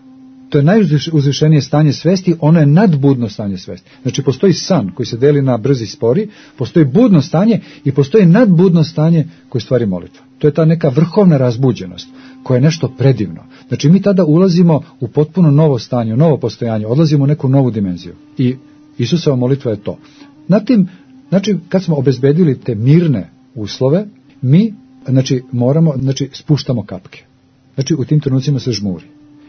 To je najuzvišenije stanje svesti, ono je nadbudno stanje svesti. Znači postoji san koji se deli na brzi i spori, postoji budno stanje i postoji nadbudno stanje koje stvari molitva. To je ta neka vrhovna razbuđenost koja je nešto predivno. Znači mi tada ulazimo u potpuno novo stanje, u novo postojanje, odlazimo u neku novu dimenziju. I Isusova molitva je to. Zatim, znači kad smo obezbedili te mirne uslove, mi znači moramo, znači spuštamo kapke. Znači u tim trenucima se žmuri.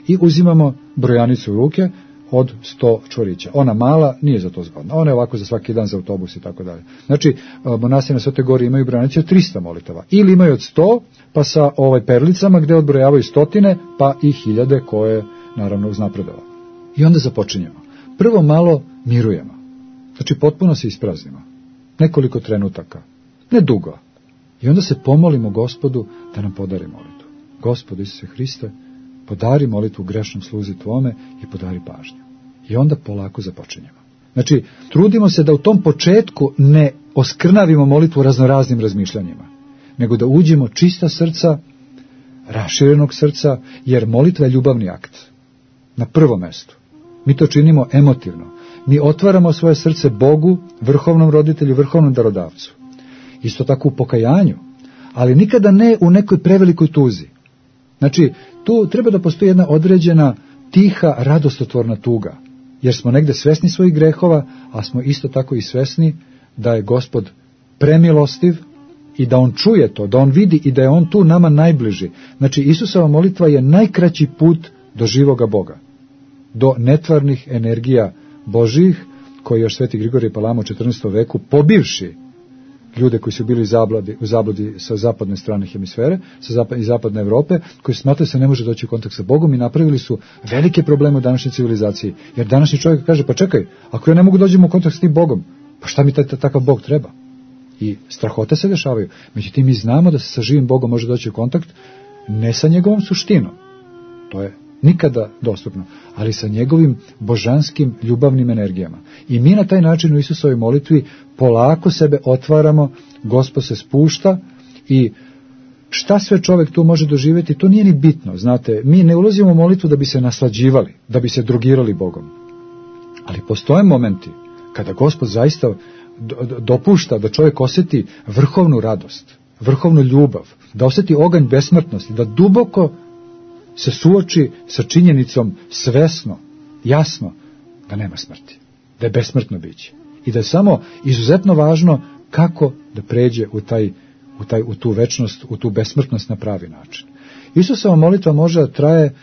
I uzimamo brojanicu u ruke od sto čvorića. Ona mala nije za to zgodna. Ona je ovako za svaki dan za autobus i tako dalje. Znači, monasi na Svetoj Gori imaju brojanice od trista molitava. Ili imaju od sto, pa sa ovaj perlicama gde odbrojavaju stotine, pa i hiljade koje, naravno, uznapredova. I onda započinjemo. Prvo malo mirujemo. Znači, potpuno se ispraznimo. Nekoliko trenutaka. Ne dugo. I onda se pomolimo Gospodu da nam podari molitvu. Gospodu Isuse Hriste, podari molitvu grešnom sluzi tvome i podari pažnju. I onda polako započinjemo. Znači, trudimo se da u tom početku ne oskrnavimo molitvu raznoraznim razmišljanjima, nego da uđemo čista srca, raširenog srca, jer molitva je ljubavni akt. Na prvom mestu. Mi to činimo emotivno. Mi otvaramo svoje srce Bogu, vrhovnom roditelju, vrhovnom darodavcu. Isto tako u pokajanju, ali nikada ne u nekoj prevelikoj tuzi. Znači, tu treba da postoji jedna određena tiha, radostotvorna tuga, jer smo negde svesni svojih grehova, a smo isto tako i svesni da je Gospod premilostiv i da On čuje to, da On vidi i da je On tu nama najbliži. Znači, Isusova molitva je najkraći put do živoga Boga, do netvarnih energija Božijih, koje još Sveti Grigorije Palama u četrnaestom veku, pobivši ljude koji su bili u zabludi, u zabludi sa zapadne strane hemisfere, sa zapad, iz zapadne Evrope, koji smatraju se ne može doći u kontakt sa Bogom i napravili su velike probleme u današnjoj civilizaciji. Jer današnji čovjek kaže, pa čekaj, ako ja ne mogu dođem u kontakt s tim Bogom, pa šta mi taj, takav Bog treba? I strahote se dešavaju. Međutim, mi znamo da se sa živim Bogom može doći u kontakt ne sa njegovom suštinom, to je nikada dostupno, ali sa njegovim božanskim ljubavnim energijama. I mi na taj način u Isusovoj molitvi polako sebe otvaramo, Gospod se spušta i šta sve čovjek tu može doživjeti, to nije ni bitno. Znate, mi ne ulazimo u molitvu da bi se naslađivali, da bi se drogirali Bogom. Ali postoje momenti kada Gospod zaista dopušta da čovjek osjeti vrhovnu radost, vrhovnu ljubav, da osjeti oganj besmrtnosti, da duboko se suoči sa činjenicom svesno, jasno, da nema smrti, da je besmrtno biće. I da je samo izuzetno važno kako da pređe u, taj, u, taj, u tu večnost, u tu besmrtnost na pravi način. Isusova molitva može da traje,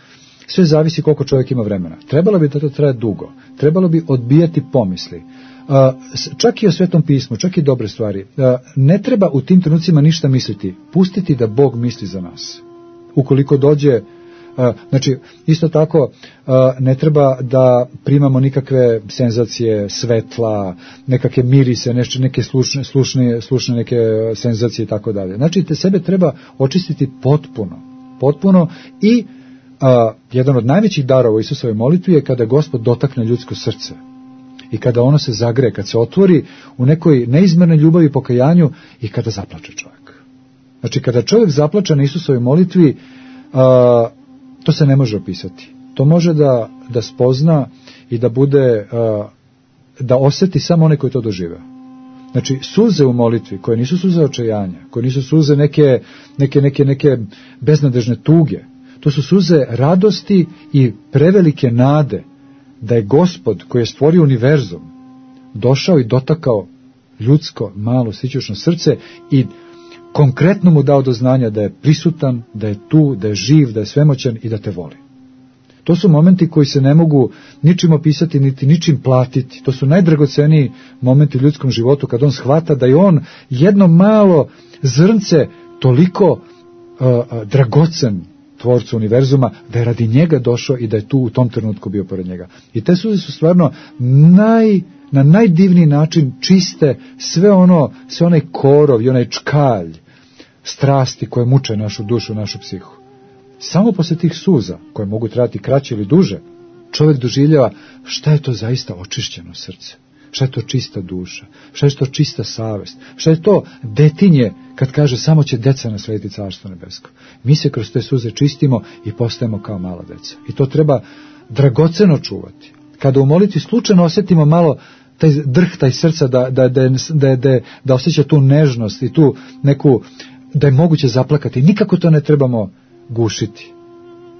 sve zavisi koliko čovjek ima vremena. Trebalo bi da to traje dugo, trebalo bi odbijati pomisli. Čak i o Svetom pismu, čak i dobre stvari. Ne treba u tim trenucima ništa misliti, pustiti da Bog misli za nas. Ukoliko dođe, znači isto tako ne treba da primamo nikakve senzacije, svetla, nekakve mirise, nešto, neke slušne, slušne, slušne neke senzacije i tako dalje. Znači te sebe treba očistiti potpuno, potpuno i a, jedan od najvećih darova Isusove molitvi je kada Gospod dotakne ljudsko srce. I kada ono se zagre, kad se otvori u nekoj neizmernoj ljubavi i pokajanju i kada zaplače čovjek. Znači kada čovjek zaplače na Isusovoj molitvi, a, to se ne može opisati. To može da, da spozna i da bude a, da osjeti samo onaj koji to doživeo. Znači, suze u molitvi, koje nisu suze očajanja, koje nisu suze neke, neke, neke, neke beznadežne tuge, to su suze radosti i prevelike nade da je Gospod koji je stvorio univerzum došao i dotakao ljudsko, malo, sićušno srce i konkretno mu dao do znanja da je prisutan, da je tu, da je živ, da je svemoćan i da te voli. To su momenti koji se ne mogu ničim opisati, niti ničim platiti. To su najdragoceniji momenti u ljudskom životu kad on shvata da je on jedno malo zrnce toliko uh, uh, dragocen tvorcu univerzuma, da je radi njega došao i da je tu u tom trenutku bio pored njega. I te suze su stvarno naj, na najdivniji način čiste sve ono, sve onaj korov i onaj čkalj strasti koje muče našu dušu, našu psihu. Samo posle tih suza, koje mogu trajati kraće ili duže, čovjek doživljava šta je to zaista očišćeno srce, šta je to čista duša, šta je to čista savest, šta je to detinje kad kaže samo će deca naslediti carstvo nebesko. Mi se kroz te suze čistimo i postajemo kao mala deca. I to treba dragoceno čuvati. Kada u molitvi slučajno osjetimo malo taj drh, taj srca, da, da, da, da, da, da osjeća tu nežnost i tu neku, da je moguće zaplakati. Nikako to ne trebamo gušiti.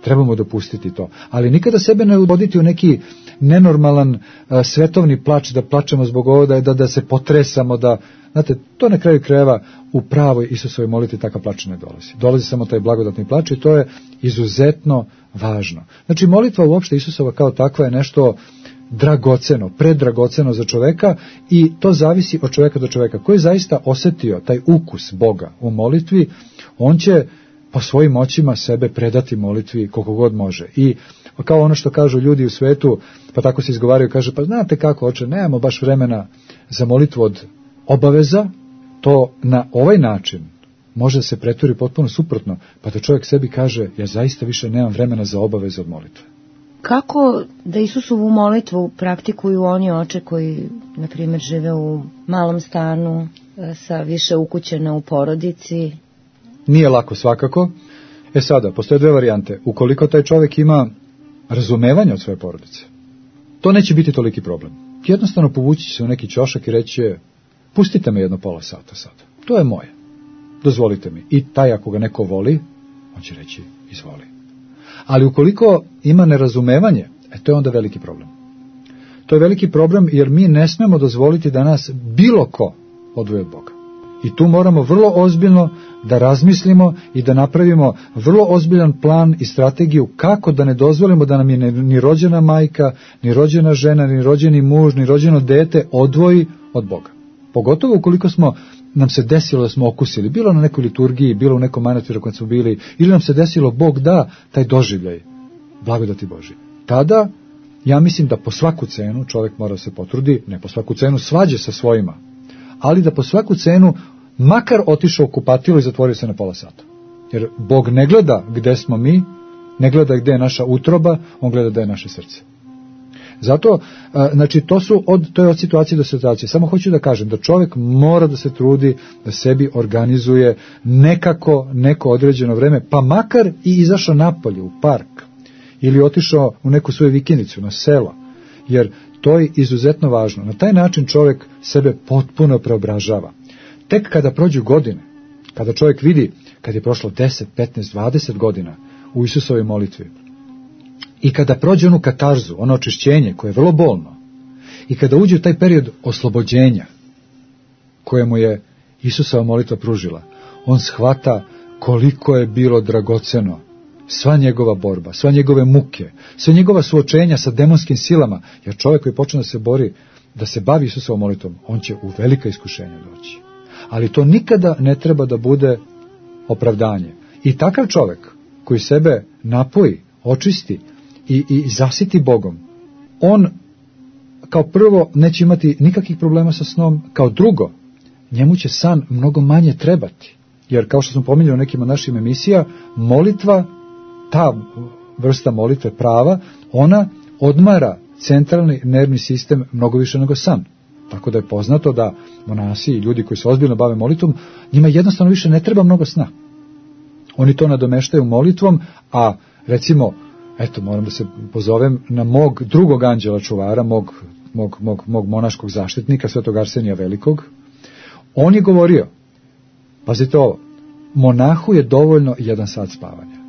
Trebamo dopustiti to. Ali nikada sebe ne uvoditi u neki nenormalan a, svetovni plač, da plačemo zbog ovoga, da, da se potresamo, da, znate, to na kraju krajeva u pravoj Isusovoj molitvi takav plač ne dolazi. Dolazi samo taj blagodatni plač i to je izuzetno važno. Znači, molitva uopšte Isusova kao takva je nešto dragoceno, predragoceno za čoveka i to zavisi od čoveka do čoveka. Ko je zaista osjetio taj ukus Boga u molitvi, on će po svojim moćima sebe predati molitvi koliko god može. I kao ono što kažu ljudi u svetu, pa tako se izgovaraju, kaže, pa znate kako, oče, nemamo baš vremena za molitvu od obaveza, to na ovaj način može da se pretvori potpuno suprotno, pa da čovjek sebi kaže, ja zaista više nemam vremena za obaveze od molitve. Kako da Isusovu molitvu praktikuju oni oče koji, na primjer, žive u malom stanu, sa više ukućena u porodici? Nije lako svakako. E sada, postoje dve varijante. Ukoliko taj čovjek ima razumevanje od svoje porodice, to neće biti toliki problem. Jednostavno povući će se u neki ćošak i reći, pustite me jedno pola sata sad. To je moje. Dozvolite mi. I taj ako ga neko voli, on će reći, izvoli. Ali ukoliko ima nerazumevanje, e, to je onda veliki problem. To je veliki problem jer mi ne smemo dozvoliti da nas bilo ko odvoji od Boga. I tu moramo vrlo ozbiljno da razmislimo i da napravimo vrlo ozbiljan plan i strategiju kako da ne dozvolimo da nam je ni rođena majka, ni rođena žena, ni rođeni muž, ni rođeno dete odvoji od Boga. Pogotovo ukoliko smo, nam se desilo da smo okusili, bilo na nekoj liturgiji, bilo u nekom manastiru kad smo bili, ili nam se desilo Bog da taj doživljaj, blagodati Božje. Tada, ja mislim da po svaku cenu čovjek mora se potrudi, ne po svaku cenu svađe sa svojima, ali da po svaku cenu makar otišao u kupatilo i zatvorio se na pola sata. Jer Bog ne gleda gde smo mi, ne gleda gde je naša utroba, on gleda gde je naše srce. Zato, znači, to su od, to je od situacije do situacije. Samo hoću da kažem da čovjek mora da se trudi da sebi organizuje nekako neko određeno vreme, pa makar i izašao napolje u park ili otišao u neku svoju vikendicu na selo, jer to je izuzetno važno. Na taj način čovjek sebe potpuno preobražava. Tek kada prođu godine, kada čovjek vidi, kad je prošlo deset, petnaest, dvadeset godina u Isusovoj molitvi, i kada prođe onu katarzu, ono očišćenje koje je vrlo bolno, i kada uđe u taj period oslobođenja koje mu je Isusova molitva pružila, on shvata koliko je bilo dragoceno sva njegova borba, sva njegove muke, sva njegova suočenja sa demonskim silama, jer čovjek koji počne da se bori, da se bavi Isusovom molitvom, on će u velika iskušenja doći. Ali to nikada ne treba da bude opravdanje. I takav čovjek koji sebe napoji, očisti i, i zasiti Bogom, on kao prvo neće imati nikakvih problema sa snom, kao drugo, njemu će san mnogo manje trebati. Jer kao što smo pominjali u nekim od naših emisija, molitva, ta vrsta molitve prava, ona odmara centralni nervni sistem mnogo više nego san. Tako da je poznato da monasi i ljudi koji se ozbiljno bave molitvom, njima jednostavno više ne treba mnogo sna. Oni to nadomeštaju molitvom, a recimo, eto, moram da se pozovem na mog drugog anđela čuvara, mog mog, mog, mog monaškog zaštitnika, svetog Arsenija Velikog. On je govorio, pazite ovo, monahu je dovoljno jedan sat spavanja.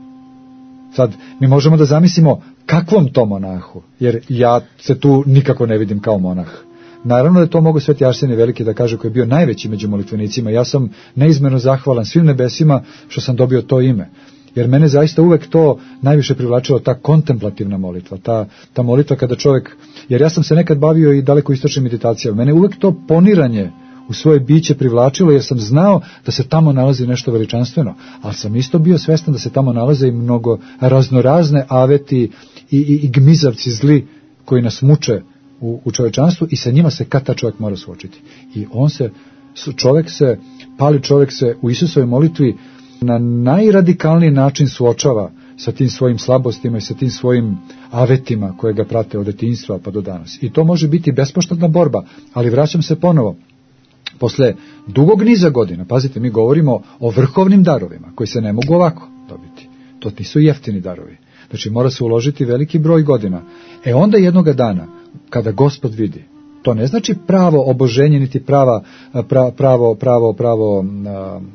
Sad, mi možemo da zamislimo kakvom to monahu, jer ja se tu nikako ne vidim kao monah. Naravno da je to mogu sveti Arsenije Veliki da kaže, koji je bio najveći među molitvenicima. Ja sam neizmjerno zahvalan svim nebesima što sam dobio to ime. Jer mene zaista uvek to najviše privlačilo, ta kontemplativna molitva, ta, ta molitva kada čovjek, jer ja sam se nekad bavio i daleko istočnim meditacijama, mene uvek to poniranje u svoje biće privlačilo, jer sam znao da se tamo nalazi nešto veličanstveno, ali sam isto bio svestan da se tamo nalaze i mnogo raznorazne aveti i, i, i gmizavci zli koji nas muče u, u čovečanstvu i sa njima se kad ta čovjek mora suočiti. I on se, čovjek se, pali čovjek se u Isusovoj molitvi na najradikalniji način suočava sa tim svojim slabostima i sa tim svojim avetima koje ga prate od detinjstva pa do danas. I to može biti bespoštedna borba, ali vraćam se ponovo. Posle dugog niza godina, pazite, mi govorimo o vrhovnim darovima koji se ne mogu ovako dobiti. To nisu jeftini darovi. Znači mora se uložiti veliki broj godina. E onda jednoga dana, kada Gospod vidi, to ne znači pravo oboženje, niti prava, pra, pravo, pravo, pravo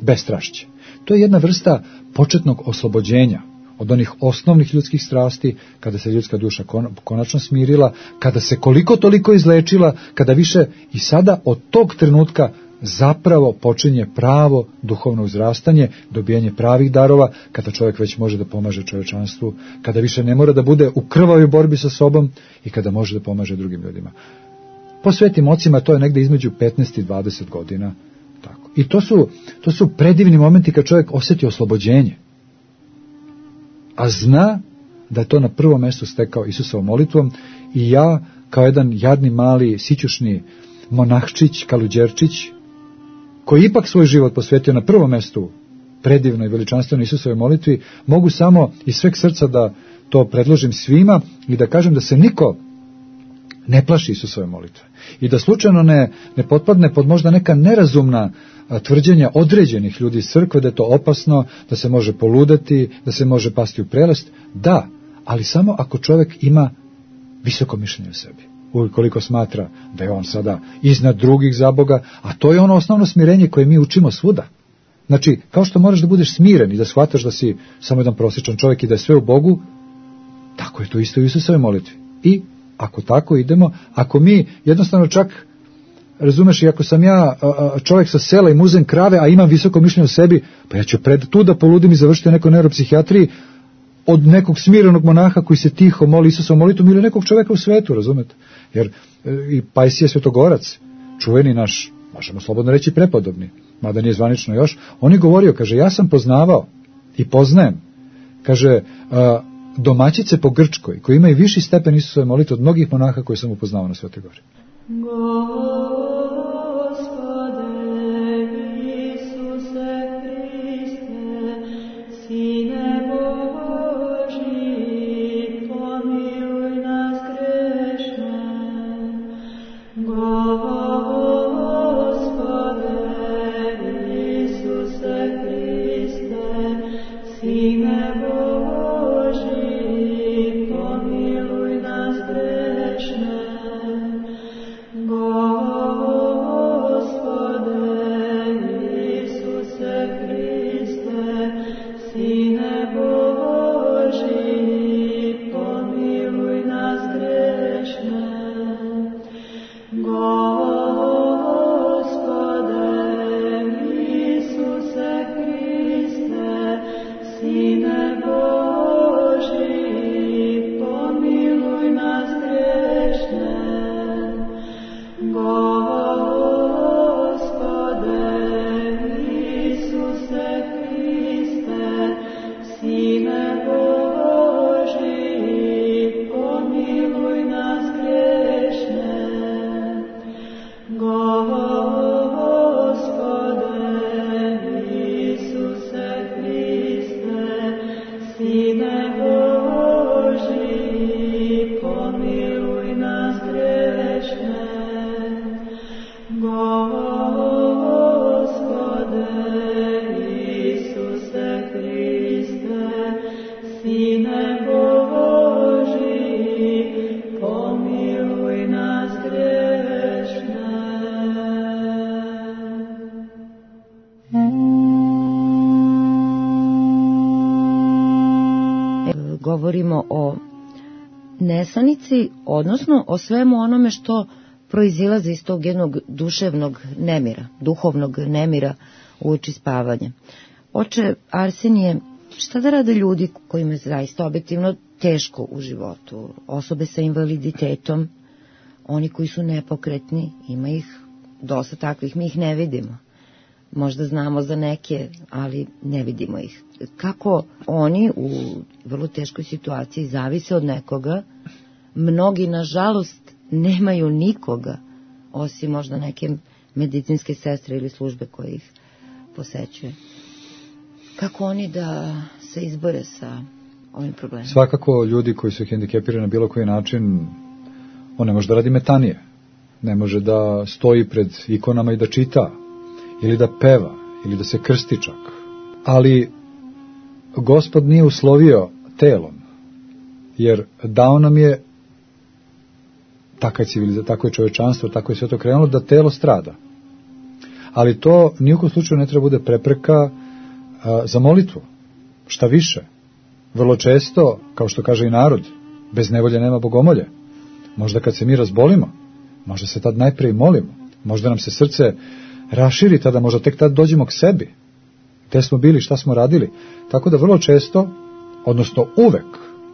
bestrašće. To je jedna vrsta početnog oslobođenja od onih osnovnih ljudskih strasti, kada se ljudska duša konačno smirila, kada se koliko toliko izlečila, kada više i sada od tog trenutka zapravo počinje pravo duhovno uzrastanje, dobijanje pravih darova, kada čovjek već može da pomaže čovječanstvu, kada više ne mora da bude u krvavoj borbi sa sobom i kada može da pomaže drugim ljudima. Po svetim ocima to je negde između petnaest i dvadeset godina. Tako. I to su, to su predivni momenti kad čovjek osjeti oslobođenje. A zna da je to na prvom mjestu stekao Isusovom molitvom i ja, kao jedan jadni, mali, sićušni monahčić, kaluđerčić, koji ipak svoj život posvetio na prvom mjestu predivnoj i veličanstvenoj Isusovoj molitvi, mogu samo iz sveg srca da to predložim svima i da kažem da se niko ne plaši Isusove molitve. I da slučajno ne, ne potpadne pod možda neka nerazumna a, tvrđenja određenih ljudi iz crkve, da je to opasno, da se može poludeti, da se može pasti u prelest. Da, ali samo ako čovjek ima visoko mišljenje o sebi. Ukoliko smatra da je on sada iznad drugih za Boga, a to je ono osnovno smirenje koje mi učimo svuda. Znači, kao što moraš da budeš smiren i da shvataš da si samo jedan prosječan čovjek i da je sve u Bogu, tako je to isto u Isusovoj molitvi. I ako tako idemo, ako mi jednostavno čak, razumeš, i ako sam ja čovjek sa sela i muzem krave, a imam visoko mišljenje o sebi, pa ja ću pred tu da poludim i završiti u nekoj neuropsihijatriji od nekog smirenog monaha koji se tiho moli Isusovom molitvom ili nekog čovjeka u svetu, razumete? Jer i Pajsije Svetogorac, čuveni naš, možemo slobodno reći prepodobni, mada nije zvanično još, on je govorio, kaže, ja sam poznavao i poznajem, kaže, a, domaćice po Grčkoj, koji imaju viši stepen Isusove molitve od mnogih monaha koje sam upoznao na Svetoj Gori. Gospode govorimo o nesanici, odnosno o svemu onome što proizilazi iz tog jednog duševnog nemira, duhovnog nemira uoči spavanja. Oče Arsenije, šta da rade ljudi kojima je zaista objektivno teško u životu? Osobe sa invaliditetom, oni koji su nepokretni, ima ih dosta takvih, mi ih ne vidimo. Možda znamo za neke, ali ne vidimo ih. Kako oni u vrlo teškoj situaciji zavise od nekoga, mnogi nažalost nemaju nikoga, osim možda neke medicinske sestre ili službe koje ih posećuje. Kako oni da se izbore sa ovim problemom? Svakako ljudi koji su hendikepirani na bilo koji način, on ne može da radi metanije, ne može da stoji pred ikonama i da čita, ili da peva, ili da se krsti čak. Ali Gospod nije uslovio telom, jer dao nam je, tako je civilizacija, tako je čovečanstvo, tako je sve to krenulo, da telo strada. Ali to nijekom slučaju ne treba bude prepreka a, za molitvu. Šta više, vrlo često, kao što kaže i narod, bez nevolje nema bogomolje. Možda kad se mi razbolimo, možda se tad najprije molimo, možda nam se srce raširi, tada možda tek tad dođemo k sebi. Gde smo bili, šta smo radili. Tako da vrlo često, odnosno uvek,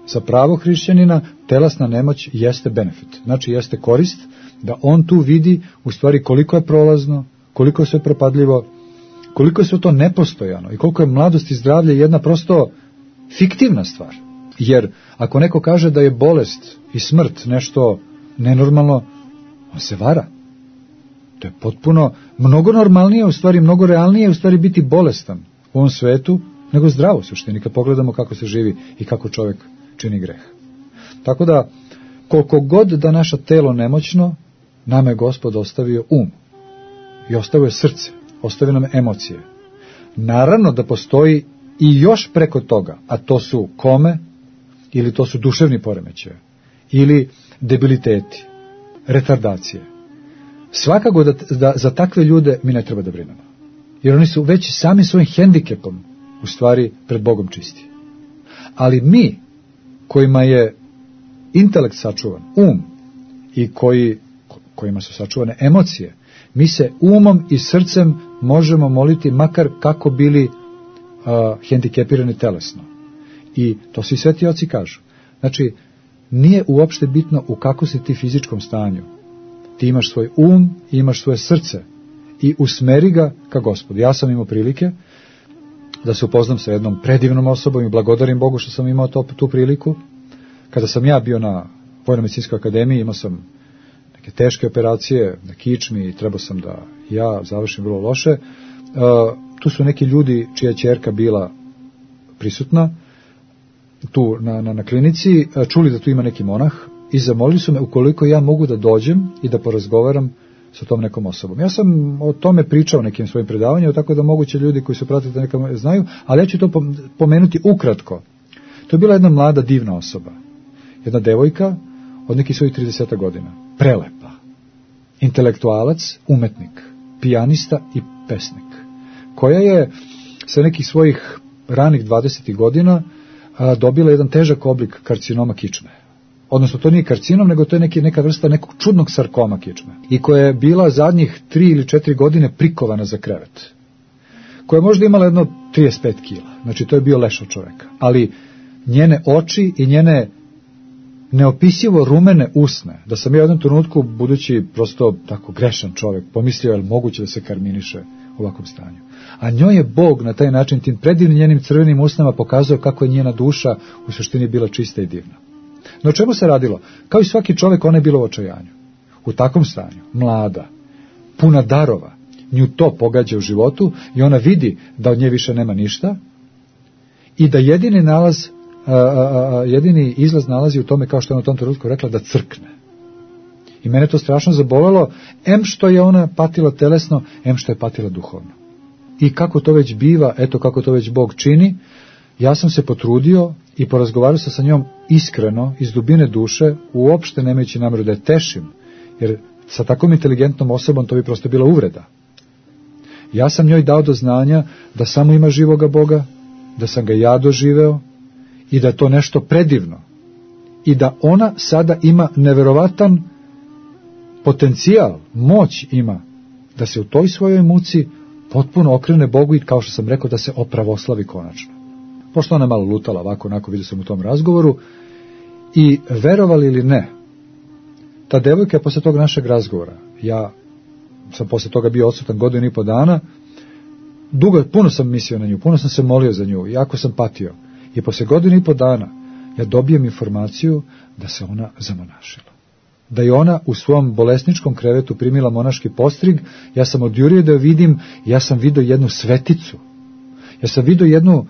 za pravog hrišćanina telesna nemoć jeste benefit. Znači jeste korist da on tu vidi u stvari koliko je prolazno, koliko je sve propadljivo, koliko je sve to nepostojano i koliko je mladost i zdravlje jedna prosto fiktivna stvar. Jer ako neko kaže da je bolest i smrt nešto nenormalno, on se vara. To je potpuno mnogo normalnije, u stvari mnogo realnije u stvari biti bolestan u ovom svetu nego zdravo u suštini kad pogledamo kako se živi i kako čovjek čini greh. Tako da koliko god da naše telo nemoćno, nama je Gospod ostavio um i ostavio srce, ostavio nam emocije. Naravno da postoji i još preko toga, a to su kome ili to su duševni poremećaji ili debiliteti, retardacije. Svakako da, da za takve ljude mi ne treba da brinemo. Jer oni su već sami svojim hendikepom u stvari pred Bogom čisti. Ali mi, kojima je intelekt sačuvan, um, i koji, kojima su sačuvane emocije, mi se umom i srcem možemo moliti makar kako bili uh, hendikepirani telesno. I to svi sveti oci kažu. Znači, nije uopšte bitno u kako si ti fizičkom stanju. Ti imaš svoj um i imaš svoje srce i usmeri ga ka Gospodu. Ja sam imao prilike da se upoznam sa jednom predivnom osobom i blagodarim Bogu što sam imao to, tu priliku. Kada sam ja bio na Vojno-medicinskoj akademiji, imao sam neke teške operacije na kičmi i trebao sam da ja završim vrlo loše. Uh, tu su neki ljudi čija ćerka bila prisutna tu na, na, na klinici, čuli da tu ima neki monah i zamolili su me ukoliko ja mogu da dođem i da porazgovaram sa tom nekom osobom. Ja sam o tome pričao nekim svojim predavanjima, tako da moguće ljudi koji su pratili da nekam znaju, ali ja ću to pomenuti ukratko. To je bila jedna mlada divna osoba. Jedna devojka od nekih svojih trideset godina. Prelepa. Intelektualac, umetnik, pijanista i pesnik. Koja je sa nekih svojih ranih dvadesetih godina a, dobila jedan težak oblik karcinoma kičme. Odnosno, to nije karcinom, nego to je neki, neka vrsta nekog čudnog sarkoma kičme. I koja je bila zadnjih tri ili četiri godine prikovana za krevet. Koja je možda imala jedno trideset pet kila. Znači, to je bio leš od čoveka. Ali njene oči i njene neopisivo rumene usne, da sam ja u jednom trenutku, budući prosto tako grešan čovek, pomislio je li moguće da se karminiše u ovakvom stanju. A njoj je Bog na taj način, tim predivnim njenim crvenim usnama, pokazao kako je njena duša u suštini bila čista i divna. No o čemu se radilo? Kao i svaki čovjek, ona je bila u očajanju. U takvom stanju, mlada, puna darova, nju to pogađa u životu i ona vidi da od nje više nema ništa i da jedini nalaz, a, a, a, jedini izlaz nalazi u tome, kao što je na tom trenutku rekla, da crkne. I mene to strašno zabolelo, em što je ona patila telesno, em što je patila duhovno. I kako to već biva, eto kako to već Bog čini, ja sam se potrudio i porazgovarao se sa njom iskreno, iz dubine duše, uopšte nemajući nameru da je tešim, jer sa takvom inteligentnom osobom to bi prosto bila uvreda. Ja sam njoj dao do znanja da samo ima živoga Boga, da sam ga ja doživeo i da je to nešto predivno i da ona sada ima neverovatan potencijal, moć ima da se u toj svojoj muci potpuno okrene Bogu i, kao što sam rekao, da se opravoslavi konačno. Pošto ona je malo lutala ovako, onako, vidio sam u tom razgovoru, i verovali ili ne, ta devojka je posle tog našeg razgovora, ja sam posle toga bio odsutan godinu i po dana, dugo, puno sam mislio na nju, puno sam se molio za nju, jako sam patio, i posle godinu i po dana ja dobijem informaciju da se ona zamonašila. Da je ona u svom bolesničkom krevetu primila monaški postrig, ja sam odjurio da je vidim, ja sam vidio jednu sveticu, ja sam vidio jednu,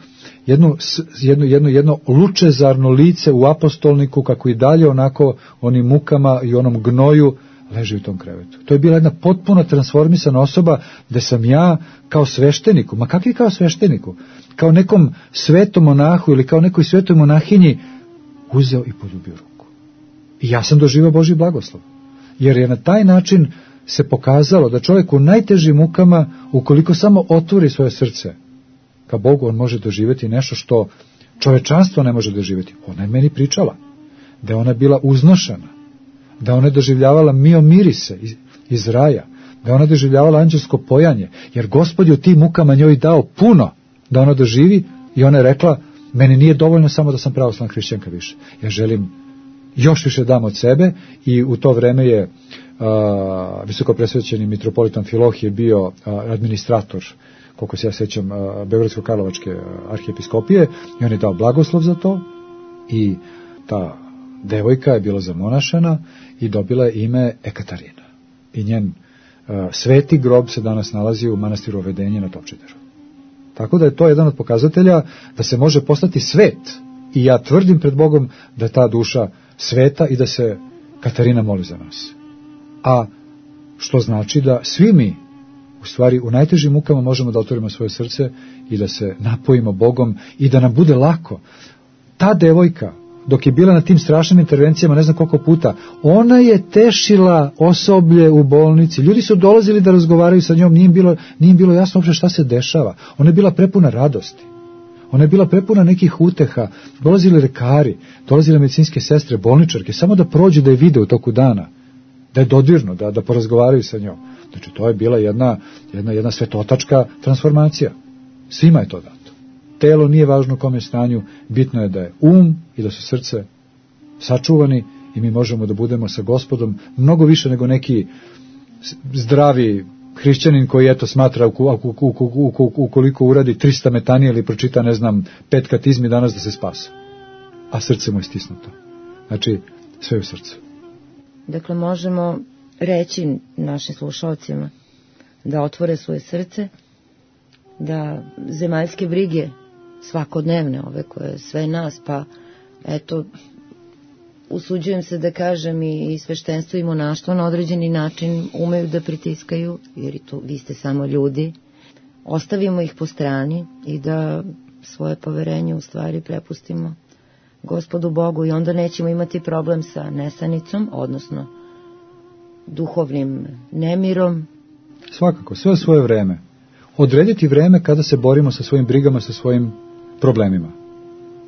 jednu, jednu, jednu, jedno lučezarno lice u apostolniku, kako i dalje onako onim mukama i onom gnoju leži u tom krevetu. To je bila jedna potpuno transformisana osoba, gde sam ja kao svešteniku, ma kakvi kao svešteniku, kao nekom svetom monahu ili kao nekoj svetoj monahinji uzeo i poljubio ruku. I ja sam doživao Božji blagoslov. Jer je na taj način se pokazalo da čovjek u najtežim mukama, ukoliko samo otvori svoje srce ka Bogu, on može doživjeti nešto što čovečanstvo ne može doživjeti. Ona je meni pričala da je ona bila uznošena, da ona je doživljavala mio mirise iz, iz raja, da je ona doživljavala anđelsko pojanje, jer Gospod je u tim mukama njoj dao puno da ona doživi, i ona je rekla, meni nije dovoljno samo da sam pravoslavna hrišćanka više, ja želim još više dam od sebe. I u to vreme je a, visoko presvećeni mitropolitan Filohije bio a, administrator, koliko se ja sećam, Beogradsko-Karlovačke arhijepiskopije, i on je dao blagoslov za to, i ta devojka je bila zamonašena i dobila je ime Ekaterina. I njen uh, sveti grob se danas nalazi u manastiru Ovedenje na Topčideru. Tako da je to jedan od pokazatelja da se može postati svet. I ja tvrdim pred Bogom da je ta duša sveta i da se Katarina moli za nas. A što znači da svi mi, u stvari, u najtežim mukama možemo da otvorimo svoje srce i da se napojimo Bogom i da nam bude lako. Ta devojka, dok je bila na tim strašnim intervencijama, ne znam koliko puta, ona je tešila osoblje u bolnici. Ljudi su dolazili da razgovaraju sa njom, nije im bilo, nije im bilo jasno uopšte šta se dešava. Ona je bila prepuna radosti. Ona je bila prepuna nekih uteha. Dolazili lekari, dolazile medicinske sestre, bolničarke, samo da prođu, da je vide u toku dana, da je dodirno, da, da porazgovaraju sa njom. Znači, to je bila jedna, jedna, jedna svetotačka transformacija. Svima je to dato. Telo nije važno u kom je stanju, bitno je da je um i da su srce sačuvani, i mi možemo da budemo sa Gospodom mnogo više nego neki zdravi hrišćanin koji eto smatra ukoliko uradi trista metanije ili pročita, ne znam, pet katizmi danas da se spasa. A srce mu je stisnuto. Znači, sve u srcu. Dakle, možemo reći našim slušalcima da otvore svoje srce, da zemaljske brige svakodnevne, ove koje sve nas, pa eto, usuđujem se da kažem i sveštenstvo i monaštvo na određeni način umeju da pritiskaju, jer i to, vi ste samo ljudi, ostavimo ih po strani i da svoje poverenje u stvari prepustimo Gospodu Bogu, i onda nećemo imati problem sa nesanicom, odnosno duhovnim nemirom. Svakako, sve svoje vreme. Odrediti vreme kada se borimo sa svojim brigama, sa svojim problemima.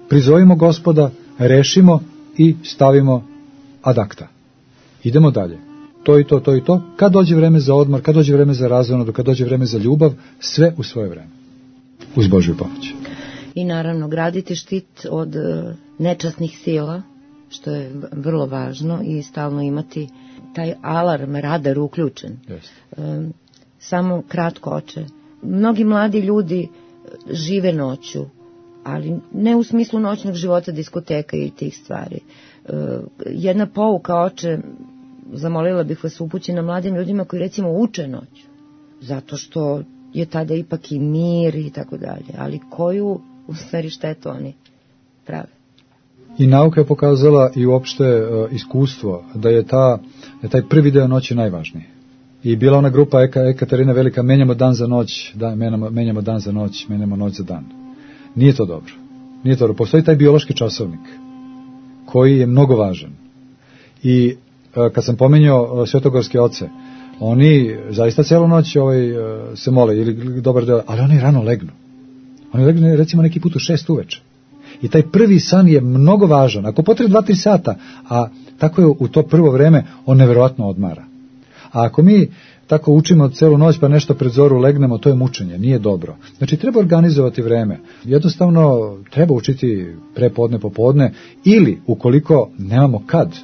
Prizovimo Gospoda, rešimo i stavimo ad acta. Idemo dalje. To i to, to i to. Kad dođe vreme za odmor, kad dođe vreme za razonadu, kad dođe vreme za ljubav, sve u svoje vreme. Uz Božju pomoć. I naravno, graditi štit od nečasnih sila, što je vrlo važno, i stalno imati taj alarm, radar uključen. Yes. Samo kratko, oče. Mnogi mladi ljudi žive noću, ali ne u smislu noćnog života, diskoteka i tih stvari. Jedna pouka, oče, zamolila bih vas, upućena mladim ljudima koji recimo uče noću, zato što je tada ipak i mir i tako dalje, ali koju u stvari štetu oni prave. I nauka je pokazala i uopšte uh, iskustvo da je, ta, da je taj prvi deo noći najvažniji. I bila ona grupa Eka, Ekaterina Velika, menjamo dan za noć, da, menjamo, menjamo dan za noć, menjamo noć za dan. Nije to dobro. Nije to dobro. Postoji taj biološki časovnik koji je mnogo važan. I uh, kad sam pominjao uh, svetogorske oce, oni zaista celu noć ovaj, uh, se mole, ili dobar deo, ali oni rano legnu. Oni legnu recimo neki put u šest uveče. I taj prvi san je mnogo važan. Ako potrebe dva tri sata, a tako je u to prvo vreme, on neverovatno odmara. A ako mi tako učimo celu noć pa nešto pred zoru legnemo, to je mučenje, nije dobro. Znači treba organizovati vreme. Jednostavno treba učiti prepodne, popodne ili ukoliko nemamo kad,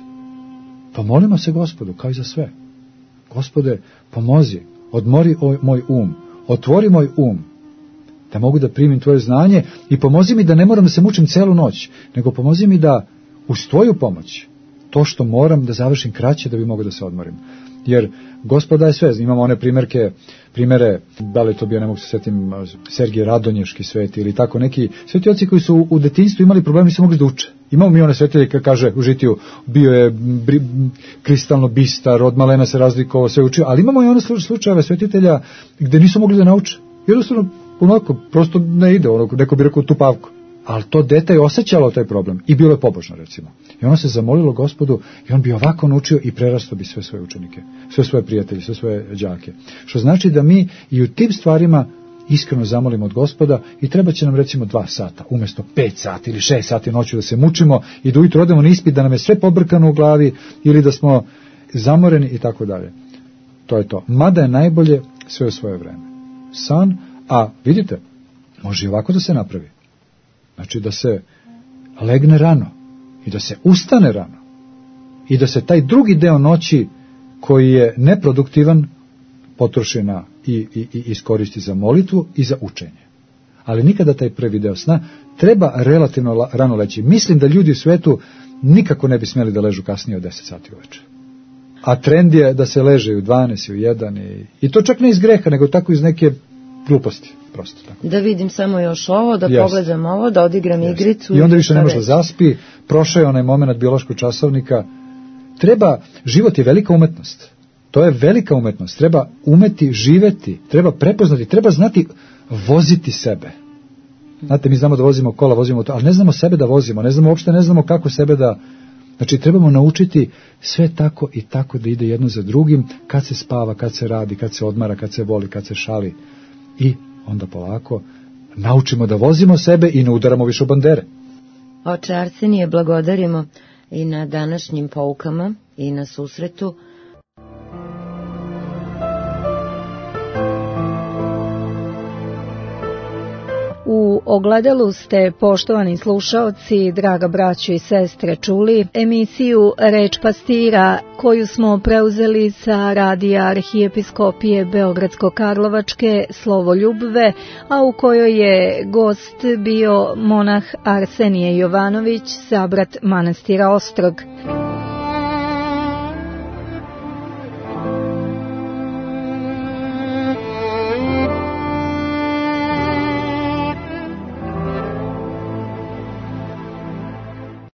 pomolimo se Gospodu kao i za sve. Gospode, pomozi, odmori moj um, otvori moj um, da mogu da primim tvoje znanje i pomozi mi da ne moram da se mučim celu noć, nego pomozi mi da uz tvoju pomoć to što moram da završim kraće da bi mogao da se odmorim. Jer Gospod daje sve, imamo one primjerke, primere, da li to bio, ne mogu se setim, Sergij Radonješki sveti ili tako neki svetioci koji su u detinjstvu imali problemi, nisu mogli da uče. Imamo mi one svetitelje koji kaže u žitiju, bio je bri, kristalno bistar, od malena se razlikovao, sve učio, ali imamo i one slučajeve svetitelja gde nisu mogli da nauče. Jednostavno, onako, prosto ne ide, onako, neko bi rekao tupavko. Ali to dete je osjećalo taj problem i bilo je pobožno, recimo. I ono se zamolilo Gospodu i on bi ovako naučio i prerastao bi sve svoje učenike, sve svoje prijatelje, sve svoje đake. Što znači da mi i u tim stvarima iskreno zamolimo od Gospoda i treba će nam recimo dva sata, umjesto pet sati ili šest sati noću da se mučimo i da ujutro odemo na ispit, da nam je sve pobrkano u glavi ili da smo zamoreni i tako dalje. To je to. Mada je najbolje sve u svoje vreme. San, a vidite, može i ovako da se napravi. Znači da se legne rano i da se ustane rano i da se taj drugi deo noći koji je neproduktivan potroši na i, i, i iskoristi za molitvu i za učenje. Ali nikada taj prvi deo sna treba relativno rano leći. Mislim da ljudi u svetu nikako ne bi smjeli da ležu kasnije od deset sati uveče. A trend je da se leže u dvanaest, u jedan i, i to čak ne iz greha, nego tako iz neke gluposti. Prosto tako. Da vidim samo još ovo, da yes. pogledam ovo, da odigram yes. igricu. I onda više ne može da zaspi, prošao je onaj moment biološkog časovnika. Treba, život je velika umetnost. To je velika umetnost. Treba umeti živeti, treba prepoznati, treba znati voziti sebe. Znate, mi znamo da vozimo kola, vozimo to, ali ne znamo sebe da vozimo, ne znamo uopšte, ne znamo kako sebe da... Znači, trebamo naučiti sve tako i tako da ide jedno za drugim, kad se spava, kad se radi, kad se odmara, kad se voli, kad se šali. I onda polako naučimo da vozimo sebe i ne udaramo više u bandere. Oče Arsenije, blagodarimo i na današnjim poukama i na susretu. U ogledalu ste, poštovani slušaoci, draga braćo i sestre, čuli emisiju Reč pastira koju smo preuzeli sa radija Arhijepiskopije Beogradsko-Karlovačke Slovo Ljubve, a u kojoj je gost bio monah Arsenije Jovanović, sabrat manastira Ostrog.